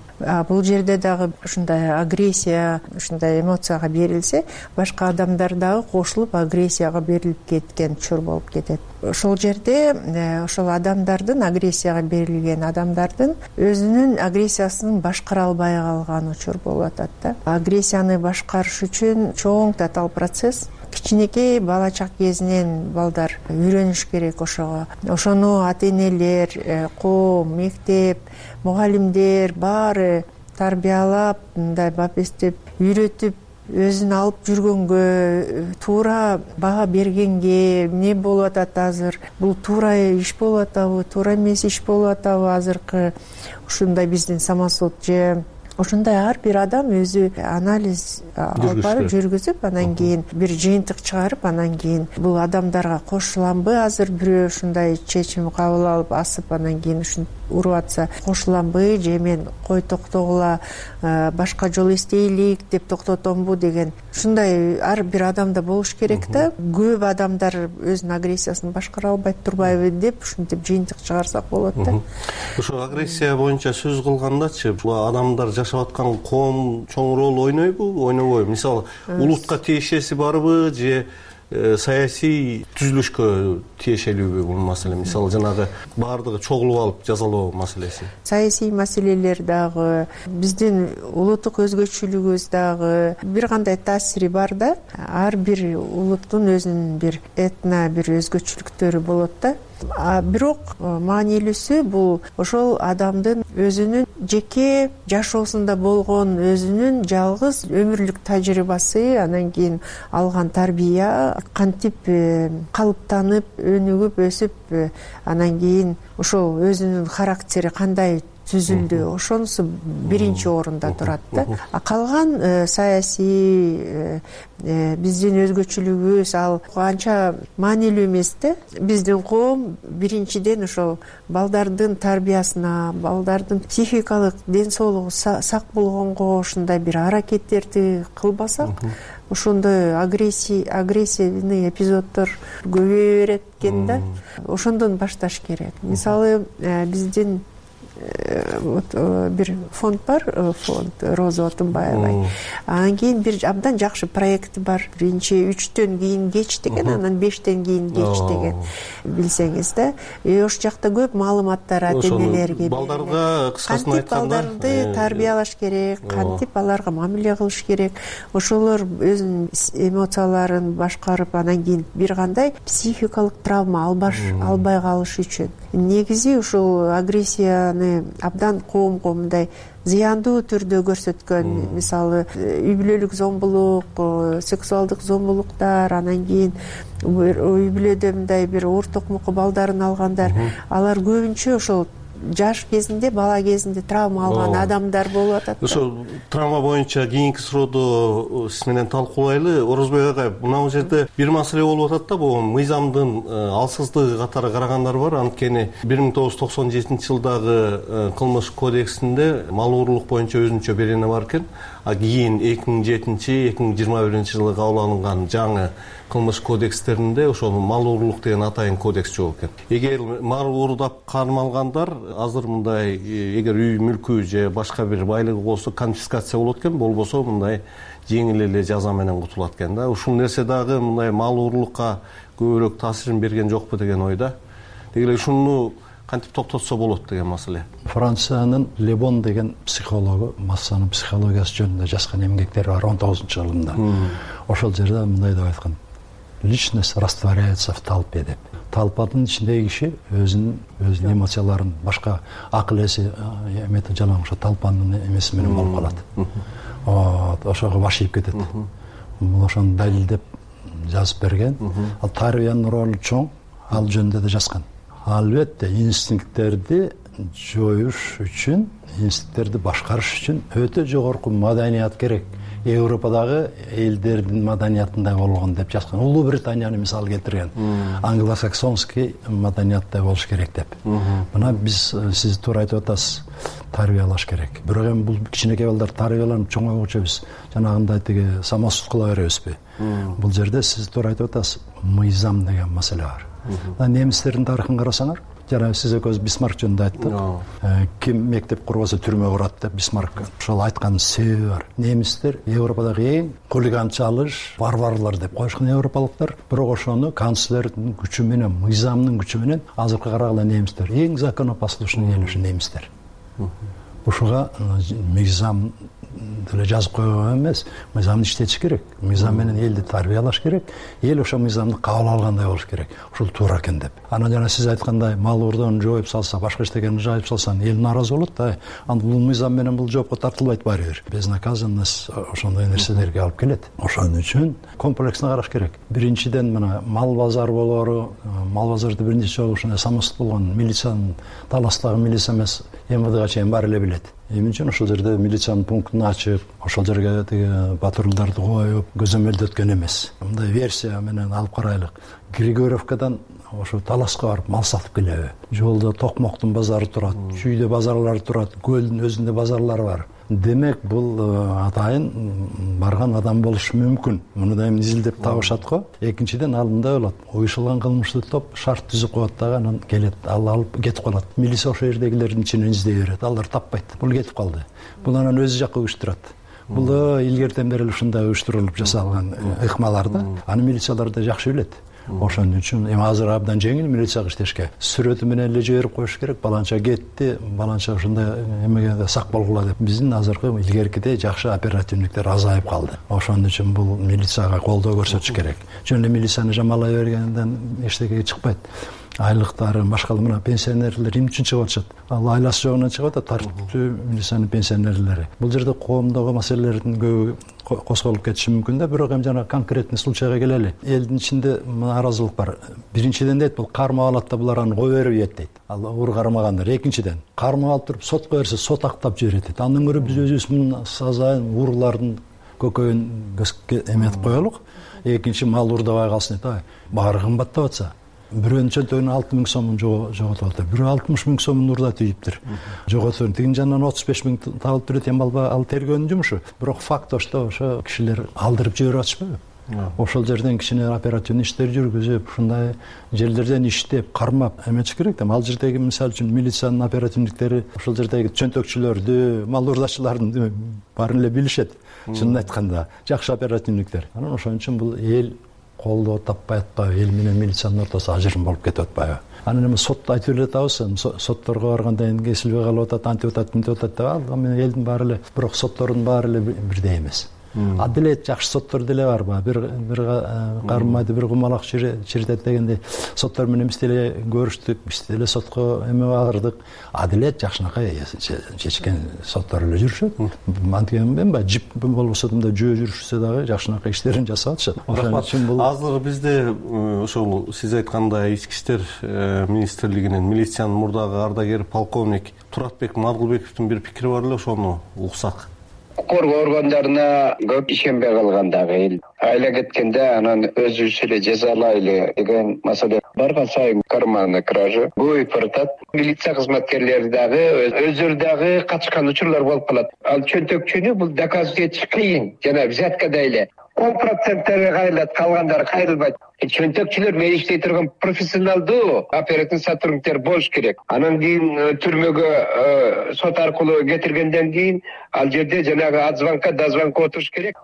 [SPEAKER 5] Бул жерде дагы ушундай агрессия, ушундай эмоцияга берилсе, башка адамдар дагы кошулуп агрессияга берилип кеткен учур болуп кетет. Ошол жерде ошол адамдардын, агрессияга берилген адамдардын өзүнүн агрессиясын башкара албай калган учур болуп атат да. Агрессияны башкарыш үчүн чоң татаал процесс. Кичинекей бала чак кезинен балдар үйрөнүш керек ошого. Ошону ата-энелер, коом, мектеп, мугалимдер баары тарбиялап, мындай бапестеп, үйрөтүп, өзүн алып жүргөнгө, туура баа бергенге, эмне болуп атат азыр, бул туура иш болуп атабы, туура эмес иш болуп атабы азыркы ушундай биздин самосуд же ошондой ар бир адам өзү анализ алып барып жүргүзүп, анан кийин бир жыйынтык чыгарып, анан кийин бул адамдарга кошуламбы, азыр бирөө ушундай чечим кабыл алып асып, анан кийин ушинтип уруп атса кошуламбы, же мен кой токтогула, башка жол издейлик деп токтотомбу деген ушундай ар бир адамда болуш керек да. Көп адамдар өзүнүн агрессиясын башкара албайт турбайбы деп ушинтип жыйынтык чыгарсак болот да.
[SPEAKER 6] Ошо агрессия боюнча сөз кылгандачы, бул адамдар жашап аткан коом чоң роль ойнойбу, ойнобойбу? Мисалы, улутка тиешеси барбы же саясий түзүлүшкө тиешелүүбү бул маселе? Мисалы, жанагы баардыгы чогулуп алып жазалоо маселеси.
[SPEAKER 5] Саясий маселелер дагы, биздин улуттук өзгөчөлүгүбүз дагы бир кандай таасири бар да. Ар бир улуттун өзүнүн бир этно, бир өзгөчөлүктөрү болот да. Бирок маанилүүсү бул ошол адамдын өзүнүн жеке жашоосунда болгон өзүнүн жалгыз өмүрлүк тажрыйбасы, анан кийин алган тарбия, кантип калыптанып, өнүгүп, өсүп, анан кийин ошол өзүнүн характери кандай түзүлдү. Ошонусу биринчи орунда турат да. Калган саясий биздин өзгөчөлүгүбүз ал анча маанилүү эмес да. Биздин коом биринчиден ошол балдардын тарбиясына, балдардын психикалык ден соолугу сак болгонго ушундай бир аракеттерди кылбасак, ошондой агрессивный эпизоддор көбөйө берет экен да. Ошондон башташ керек. Мисалы, биздин бир фонд бар, фонд Роза Отунбаева. Анан кийин бир абдан жакшы проекти бар. Биринчи 3төн кийин кеч деген, анан 5тен кийин кеч деген, билсеңиз да. Ошол жакта көп маалыматтар ата-энелерге,
[SPEAKER 6] балдарга кыскасын айтканда,
[SPEAKER 5] балдарды тарбиялаш керек, кантип аларга мамиле кылыш керек. Ошолор өзүнүн эмоцияларын башкарып, анан кийин бир кандай психикалык травма албай калыш үчүн. Негизи ушул агрессияны абдан коомго мындай зыяндуу түрдө көрсөткөн, мисалы үй бүлөлүк зомбулук, сексуалдык зомбулуктар, анан кийин үй бүлөдө мындай бир оор токмокко балдарын алгандар, алар көбүнчө ошол жаш кезинде, бала кезинде травма алган адамдар болуп атат.
[SPEAKER 6] Ошо травма боюнча кийинки суроодо сиз менен талкуулайлы. Орозбек агай, мына жерде бир маселе болуп атат да, бул мыйзамдын алсыздыгы катары карагандар бар. Анткени 1997-жылдагы кылмыш кодексинде мал уурлук боюнча өзүнчө берене бар экен. А кийин 2007-2021-жылы кабыл алынган жаңы кылмыш кодекстеринде ошол мал уурлук деген атайын кодекс жок экен. Эгер мал уурдап кармалгандар азыр мындай, эгер үй мүлкү же башка бир байлыгы болсо конфискация болот экен, болбосо мындай жеңил эле жаза менен кутулат экен да. Ушул нерсе дагы мындай мал уурлукка көбүрөөк таасирин берген жокпу деген ойда. Деги эле ушуну кантип токтотсо болот деген маселе.
[SPEAKER 7] Франциянын Лебон деген психологу массанын психологиясы жөнүндө жазган эмгектери бар 19-жылында. Ошол жерде мындай деп айткан: личность растворяется в толпе деп. Толпанын ичиндеги киши өзүнүн эмоцияларын, башка акыл эси эметип жалаң ошо толпанын эмеси менен болуп калат. Ошого баш ийип кетет. Бул ошону далилдеп жазып берген. Ал тарбиянын ролу чоң, ал жөнүндө да жазган. Албетте инстинкттерди жоюш үчүн, инстинкттерди башкарыш үчүн өтө жогорку маданият керек. Европадагы элдердин маданиятындай болгон деп жазган. Улуу Британияны мисал келтирген. Англосаксонский маданияттай болуш керек деп. Мына биз, сиз туура айтып атасыз, тарбиялаш керек. Бирок эми бул кичинекей балдар тарбияланып чоңойгуча биз жанагындай тиги самосуд кыла беребизби? Бул жерде сиз туура айтып атасыз, мыйзам деген маселе бар. Немистердин тарыхын карасаңар, жана сиз экөөбүз Бисмарк жөнүндө айттык. Ким мектеп курбаса түрмө курат деп Бисмарк ошол айткан себеби бар. Немистер Европадагы эң хулиганчалыш, варварлар деп коюшкан европалыктар, бирок ошону канцлердин күчү менен, мыйзамдын күчү менен азыркы караганда немистер эң законопослушный эл ушу немистер. Ушуга мыйзам деле жазып койгон эмес, мыйзамды иштетиш керек. Мыйзам менен элди тарбиялаш керек. Эл ошо мыйзамды кабыл алгандай болуш керек. Ушул туура экен деп. Анан жана сиз айткандай, мал уурдоону жоюп салса, башка иштегенди жоюп салсаң, эл нааразы болот да. Анда бул мыйзам менен бул жоопко тартылбайт баары бир. Безнаказанность ошондой нерселерге алып келет. Ошон үчүн комплексно караш керек. Биринчиден мына мал базар болору, мал базарды биринчи жолу ушундай самосуд болгон милициянын, Таластагы милиция эмес, МВДга чейин баары эле билет. Эмне үчүн ошол жерде милициянын пунктун ачып, ошол жерге тиги патрулдарды коюп, көзөмөлдөткөн эмес. Мындай версия менен алып карайлык. Григорьевкадан ошо Таласка барып мал сатып келеби? Жолдо Токмоктун базары турат, Чүйдө базарлары турат, Көлдүн өзүндө базарлары бар. Демек бул атайын барган адам болушу мүмкүн. Муну да эми изилдеп табышат го. Экинчиден ал мындай болот. Уюшулган кылмыштуу топ шарт түзүп коет дагы, анан келет, ал алып кетип калат. Милиция ошол жердегилердин ичинен издей берет. Алар таппайт. Бул кетип калды. Бул анан өзү жакка уюштурат. Бул да илгертен бери ушундай уюштурулуп жасалган ыкмалар да. Аны милициялар да жакшы билет. Ошон үчүн эми азыр абдан жеңил милицияга иштешке. Сүрөтү менен эле жиберип коюш керек. Баланча кетти, баланча ушундай эмеге сак болгула деп. Биздин азыркы илгеркидей жакшы оперативниктер азайып калды. Ошон үчүн бул милицияга колдоо көрсөтүш керек. Жөн эле милицияны жамалай бергенден эчтеке чыкпайт. айлыктары башка мына пенсионерлер эмне үчүн чыгып атышат? Ал айласы жогунан чыгып атат, тартиптүү милициянын пенсионерлери. Бул жерде коомдогу маселелердин көбү козголуп кетиши мүмкүн да, бирок эми жана конкретный случайга келели. Элдин ичинде нааразылык бар. Биринчиден дейт, бул кармап алат да булар аны кое бербейт дейт. Ал уур кармагандар. Экинчиден, кармап алып туруп сотко берсе, сот актап жиберет дейт. Андан көрө биз өзүбүз мына сазайын уурлардын көкөйүн эметип коелук. Экинчи мал уурдабай калсын дейт. Баары кымбаттап атса, бирөөнүн чөнтөгүнөн 6000 сомун жоготуп атат. Бирөө 60 000 сомун уурдап тийиптир. Жоготуп, тигин жандан 35 000 табылып турат эми ал тергөөнүн жумушу. Бирок факт ошо кишилер алдырып жиберип атышпайбы? Ошол жерден кичине оперативный иштер жүргүзүп, ушундай жерлерден иштеп, кармап эметиш керек да. Ал жердеги мисалы үчүн милициянын оперативниктери ошол жердеги чөнтөкчүлөрдү, мал уурдачылардын баарын эле билишет. Чынын айтканда, жакшы оперативниктер. Анан ошон үчүн бул эл колдоо таппай атпайбы, эл менен милициянын ортосу ажырым болуп кетип атпайбы? Анан эми сот айтып эле атабыз, сотторго барганда эми кесилбей калып атат, антип атат, мынтип атат деп, ал эми элдин баары эле, бирок соттордун баары эле бирдей эмес. Адилет жакшы соттор деле бар, бир кармайды, бир кумалак чиритет дегендей соттор менен биз деле көрүштүк, биз деле сотко эме бардык. Адилет жакшынакай чечкен соттор эле жүрүшөт. Антиген эми жип болбосо да жөө жүрүшсө дагы жакшынакай иштерин жасап атышат. Ошон үчүн бул
[SPEAKER 6] азыр бизде ошол сиз айткандай ички иштер министрлигинин милициянын мурдагы ардагери полковник Туратбек Мадылбековдун бир пикири бар эле, ошону уксак.
[SPEAKER 8] Коргоо органдарына көп ишенбей калгандагы эл айла кеткенде анан өзүбүз эле жазалайлы деген маселе барган сайын карманный кража көбөйүп баратат. Милиция кызматкерлери дагы өздөрү дагы катышкан учурлар болуп калат. Ал чөнтөкчүнү бул доказать этиш кыйын. Жана взяткадай эле 10% кайрылат, калгандары кайрылбайт. Чөнтөкчүлөр менен иштей турган профессионалдуу оперативный сотрудниктер болуш керек. Анан кийин түрмөгө сот аркылуу кетиргенден кийин ал жерде жанагы от звонка до звонка отуруш керек.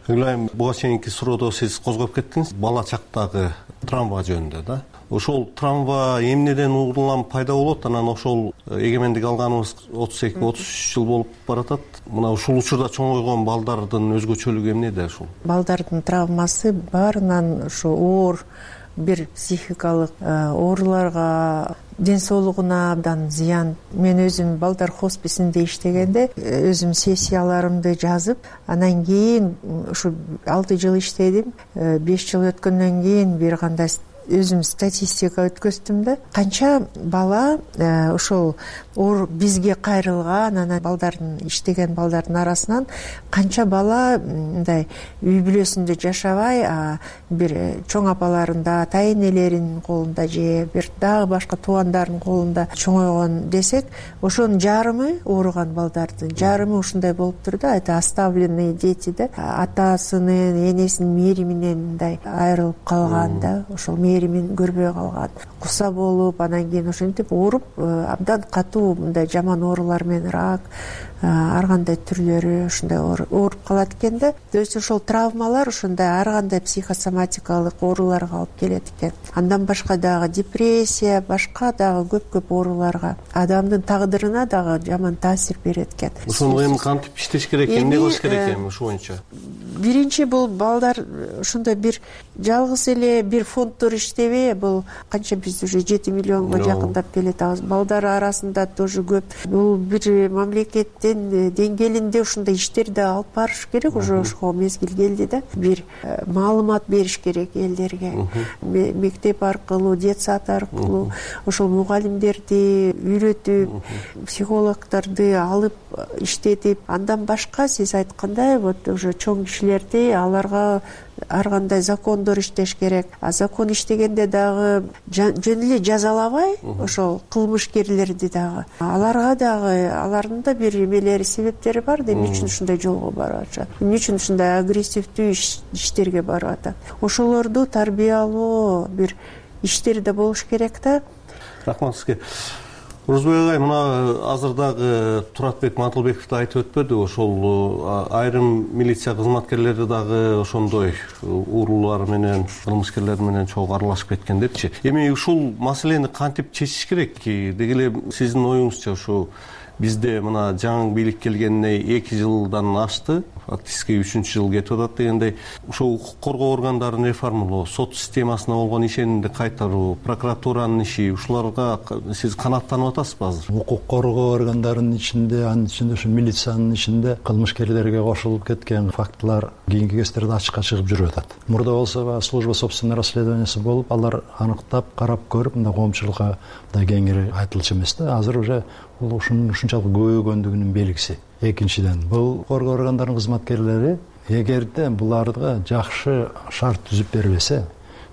[SPEAKER 6] Ыйлайм, буга чейинки суроодо сиз козгоп кеттиңиз бала чактагы травма жөнүндө да. Ошол травма эмнеден улам пайда болот? Анан ошол эгемендик алганыбыз 32-33 жыл болуп баратат. Мына ушул учурда чоңойгон балдардын өзгөчөлүгү эмнеде ушул?
[SPEAKER 5] Балдардын травмасы баарынан ушу оор бир психикалык ооруларга, ден соолугуна абдан зыян. Мен өзүм балдар хосписинде иштегенде өзүм сессияларымды жазып, анан кийин ушу 6 жыл иштедим. 5 жыл өткөндөн кийин бир кандай өзүм статистика өткөздүм да, канча бала ошол бизге кайрылган, анан балдардын иштеген балдардын арасынан канча бала мындай үй бүлөсүндө жашабай, бир чоң апаларында, ата энелеринин колунда же бир дагы башка туугандарынын колунда чоңойгон десек, ошонун жарымы ооруган балдардын жарымы ушундай болуптур да, это оставленные дети да, атасынын, энесинин мээриминен мындай айрылып калган да, ошол мээримин көрбөй калган, куса болуп, анан кийин ошентип ооруп, абдан катуу мындай жаман оорулар менен рак, ар кандай түрлөрү ушундай ооруп калат экен да. То есть ошол травмалар ушундай ар кандай психосоматикалык ооруларга алып келет экен. Андан башка дагы депрессия, башка дагы көп ооруларга, адамдын тагдырына дагы жаман таасир берет экен.
[SPEAKER 6] Ошону эми кантип иштеш керек, эмне кылыш керек эми ушу боюнча?
[SPEAKER 5] Биринчи бул балдар ошондой бир жалгыз эле бир фонддор иштебей, бул канча биз уже 7 миллионго жакындап келатабыз. Балдар арасында тоже көп. Бул бир мамлекеттин деңгээлинде ушундай иштерди алып барыш керек, уже ошого мезгил келди да. Бир маалымат бериш керек элдерге. Мектеп аркылуу, детсад аркылуу ошол мугалимдерди үйрөтүп, психологдорду алып иштетип, андан башка сиз айткандай вот уже чоң кишилерди аларга ар кандай закондор иштеш керек. Закон иштегенде дагы жөн эле жазалабай, ошол кылмышкерлерди дагы, аларга дагы алардын да бир эмелери, себептери бар да, эмне үчүн ушундай жолго барып атышат, эмне үчүн ушундай агрессивдүү иштерге барып атат. Ошолорду тарбиялоо бир иштери да болуш керек да.
[SPEAKER 6] Рахмат сизге. Орозбек агай, мына азыр дагы Туратбек Мадылбеков да айтып өтпөдү, ошол айрым милиция кызматкерлери дагы ошондой уурулар менен, кылмышкерлер менен чогуу аралашып кеткен депчи. Эми ушул маселени кантип чечиш керек? Деги эле сиздин оюңузча ушу бизде мына жаңы бийлик келгенине 2 жылдан ашты, фактически 3-чү жыл кетип атат дегендей. Ошо укук коргоо органдарын реформалоо, сот системасына болгон ишенимди кайтаруу, прокуратуранын иши, ушуларга сиз канааттанып атасызбы азыр?
[SPEAKER 7] Укук коргоо органдарынын ичинде, анын ичинде ушу милициянын ичинде кылмышкерлерге кошулуп кеткен фактылар кийинки кездерде ачыкка чыгып жүрүп атат. Мурда болсо служба собственного расследованиясы болуп, алар аныктап, карап көрүп, мындай коомчулукка да кеңири айтылчу эмес да. Азыр уже бул ушунчалык көбөйгөндүгүнүн белгиси. Экинчиден, бул коргоо органдарынын кызматкерлери эгерде буларга жакшы шарт түзүп бербесе,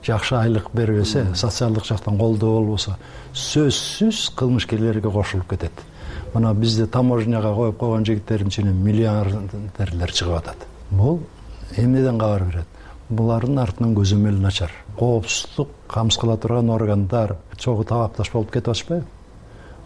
[SPEAKER 7] жакшы айлык бербесе, социалдык жактан колдоо болбосо, сөзсүз кылмышкерлерге кошулуп кетет. Мына бизде таможняга коюп койгон жигиттердин ичинен миллиардерлер чыгып атат. Бул эмнеден кабар берет? Булардын артынан көзөмөл начар. Коопсуздук камсыз кыла турган органдар чогуу табакташ болуп кетип атышпайбы?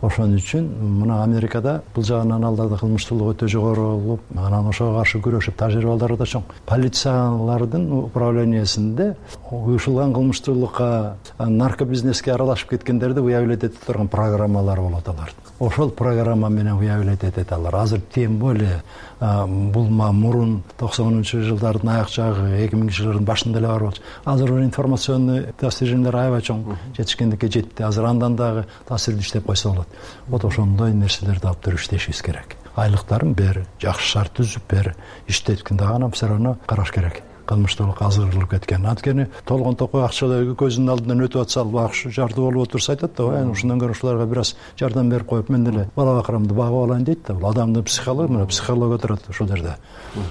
[SPEAKER 7] Ошон үчүн мына Америкада бул жагынан аларда кылмыштуулук өтө жогору болуп, анан ошого каршы күрөшүп тажрыйбалары да чоң. Полициялардын управлениясинде уюшулган кылмыштуулукка, наркобизнеске аралашып кеткендерди выявлять этип турган программалар болот алардын. Ошол программа менен выявлять этет алар. Азыр тем более бул мурун 90-жылдардын аяк жагы, 2000-жылдардын башында эле бар болчу. Азыр информационный достижениялар аябай чоң жетишкендикке жетти. Азыр андан дагы таасирдүү иштеп койсо болот. Вот ошондой нерселерди алып туруп иштешибиз керек. Айлыктарын бер, жакшы шарт түзүп бер, иштеткенде гана все равно караш керек. Кылмыштуулукка азырылып кеткен. Анткени толгон токой акчалар көзүнүн алдынан өтүп атса, багыш жарды болуп отурса айтат да, ушундан көрө ушуларга бир аз жардам берип коюп, мен деле бала бакырамды багып алайын дейт да. Бул адамдын психология турат ушул жерде.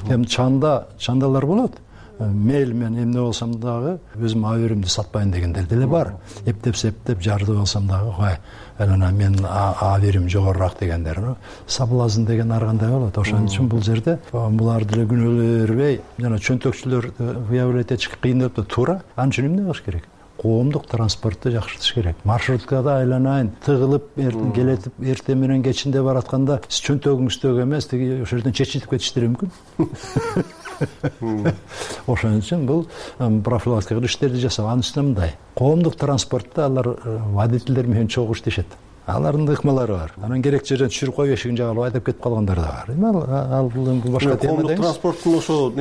[SPEAKER 7] Эми чандалар болот. Мейл мен эмне болсом дагы өзүм аберимди сатпайын дегендер деле бар. Эптеп жарды болсом дагы, анан мен аберим жогорураак дегендер. Соблазн деген ар кандай болот. Ошон үчүн бул жерде булар деле күнөөлөрбөй, жана чөнтөкчүлөр выявлять этиш кыйын деп туура. Анын үчүн эмне кылыш керек? Коомдук транспортты жакшыртыш керек. Маршруткада айланайын, тыгылып келетип эртең менен кечинде баратканда сиз чөнтөгүңүздөгү эмес, тиги ошол жерден чечилип кетиштери мүмкүн. Ошон үчүн бул профилактикалык иштерди жасап, анын үстүнө мындай. Коомдук транспортто алар водительдер менен чогуу иштешет. Алардын ыкмалары бар. Анан керек жерден түшүрүп коюп эшигин жагалап айдап кетип калгандар да бар. Ал бул башка тема.
[SPEAKER 6] Коомдук транспорттун ошо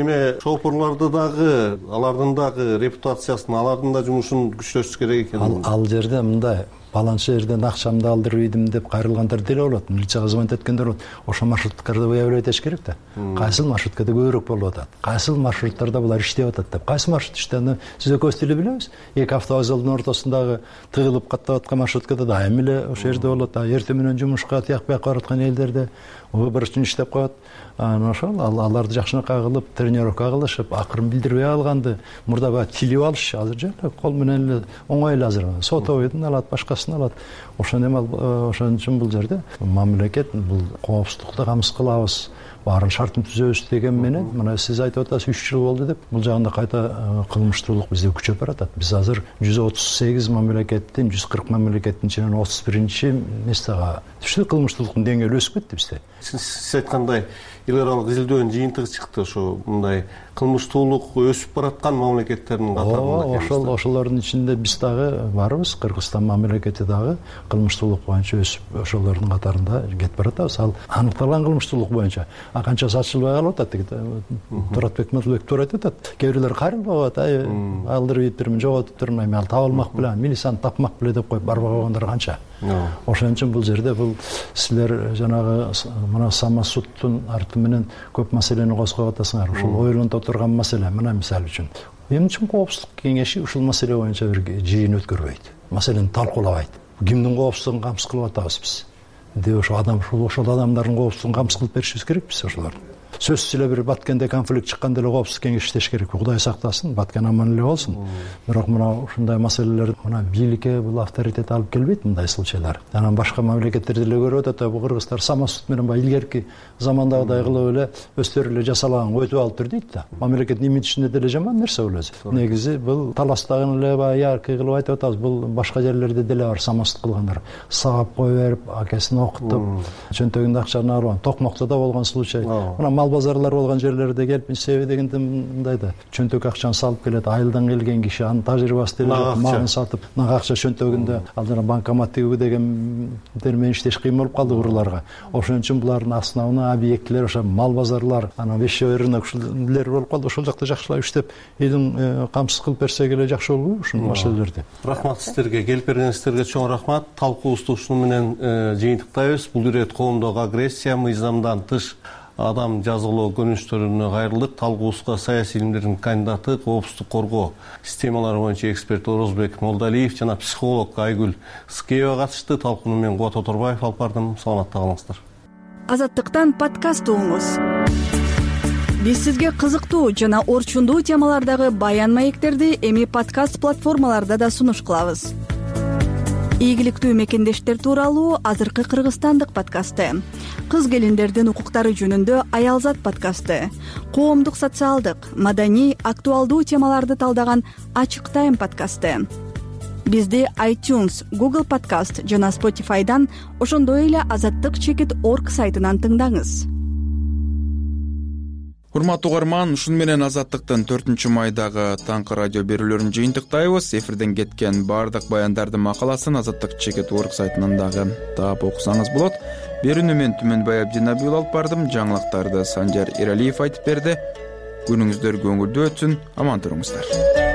[SPEAKER 6] шоферлорду дагы, алардын дагы репутациясын, алардын да жумушун күчтөтүш керек экен.
[SPEAKER 7] Ал жерде мындай баланча жерден акчамды алдырып ийдим деп кайрылгандар деле болот. Милицияга звонить эткендер болот. Ошо маршруткаларды выявлять этиш керек да. Кайсыл маршруткада көбүрөөк болуп атат? Кайсыл маршруттарда булар иштеп атат деп. Кайсы маршрут иштеп? Сиз экөөбүз деле билебиз. Эки автовокзалдын ортосундагы тыгылып каттап аткан маршруткада дайым эле ошол жерде болот. Эртең менен жумушка, тияк бияка бараткан элдерде бір үчүн иштеп коет. Ошол аларды жакшынакай кылып, тренировка кылышып, акырын билдирбей алганды, мурда баягы тилип алыш, азыр жана кол менен эле оңой эле азыр. Сотовойдун алат, башкасын алат. Ошон үчүн бул жерде мамлекет бул коопсуздукты камсыз кылабыз, баарын шартын түзөбүз деген менен, мына сиз айтып атасыз 3 жыл болду деп, бул жагында кайта кылмыштуулук бизде күчөп баратат. Биз азыр 138 мамлекеттин, 140 мамлекеттин ичинен 31-местега түштүк. Кылмыштуулуктун деңгээли өсүп кетти бизде.
[SPEAKER 6] Сиз айткандай эл аралык изилдөөнүн жыйынтыгы чыкты. Ошо мындай кылмыштуулук өсүп бараткан мамлекеттердин катарында.
[SPEAKER 7] Ошолордун ичинде биз дагы барбыз. Кыргызстан мамлекети дагы кылмыштуулук боюнча өсүп, ошолордун катарында кетип баратабыз. Ал аныкталган кылмыштуулук боюнча канчасы ачылбай калып атат. Туратбек Матылбек туура айтып атат. Кээ бирлер кайрылып атат. Алдырып ийиптирмин, жоготуп турмайм, ал таба алмак беле, милицияны тапмак беле деп коюп барбай койгондар канча. Ошон үчүн бул жерде бул силер жанагы мына самосудтун арты менен көп маселени козгоп атасыңар. Ушул ойлонто турган маселе. Мына мисалы үчүн эмне үчүн коопсуздук кеңеши ушул маселе боюнча бир жыйын өткөрбөйт, маселени талкуулабайт? Кимдин коопсуздугун камсыз кылып атабыз биз деп ошол адамдардын коопсуздугун камсыз кылып беришибиз керек биз ошолорду. Сөзсүз эле бир Баткенде конфликт чыкканда эле коопсуздук кеңеш иштеш керек. Кудай сактасын, Баткен аман эле болсун. Бирок мына ушундай маселелер мына бийликке бул авторитет алып келбейт мындай случайлар. Анан башка мамлекеттерде деле көрүп атат, бул кыргыздар самосуд менен баягы илгерки замандагыдай кылып эле өздөрү эле жасалаган өтүп алып тур дейт да. Мамлекеттин имиджинде деле жаман нерсе бул өзү. Негизи бул таластагын эле баягы яркый кылып айтып атабыз. Бул башка жерлерде деле бар самосуд кылгандар. Сабап кое берип, акесин окутуп, чөнтөгүндө акчаны алып, Токмокто да болгон случай. Мына мал базарлар болгон жерлерде келип себеби дегенде мындай да чөнтөк акчаны салып келет, айылдан келген киши анын тажрыйбасы деле жок, малын сатып нак акча чөнтөгүндө ал жана банкомат тигүү дегендер менен иштеш кыйын болуп калды уруларга. Ошон үчүн булардын основной объектилери ошо мал базарлар, анан вещевой рынок ушулер болуп калды. Ошол жакта жакшылап иштеп, элин камсыз кылып берсек эле жакшы болобу ушул маселелерди.
[SPEAKER 6] Рахмат сиздерге, келип бергениңиздерге чоң рахмат. Талкуубузду ушуну менен жыйынтыктайбыз. Бул ирет коомдогу агрессия, мыйзамдан тыш адам жазалоо көрүнүштөрүнө кайрылдык. Талкуубузга саясий илимдердин кандидаты, коопсуздук коргоо системалары боюнча эксперт Орозбек Молдалиев жана психолог Айгүл Скеева катышты. Талкууну мен Кубат Оторбаев алып бардым. Саламатта калыңыздар.
[SPEAKER 15] Азаттыктан подкаст угуңуз. Биз сизге кызыктуу жана орчундуу темалардагы баян маектерди эми подкаст платформаларда да сунуш кылабыз. Ийгиликтүү мекендештер тууралуу азыркы кыргызстандык подкасты, кыз келиндердин укуктары жөнүндө Аялзат подкасты, коомдук, социалдык, маданий, актуалдуу темаларды талдаган Ачык Тайм подкасты. Бизди iTunes, Google Podcast жана Spotify'дан, ошондой эле azattik.org сайтынан тыңдаңыз.
[SPEAKER 2] Урматтуу угарман, ушун менен Азаттыктын 4 майдагы таңкы радио берүүлөрүн жыйынтыктайбыз. Эфирден кеткен баардык баяндардын макаласын azattik.org сайтынан дагы таап окусаңыз болот. Берүүнү мен Түмөнбай Абдинабиул алып бардым. Жаңылыктарды Санжар Эралиев айтып берди. Күнүңүздөр көңүлдүү өтсүн, аман туруңуздар.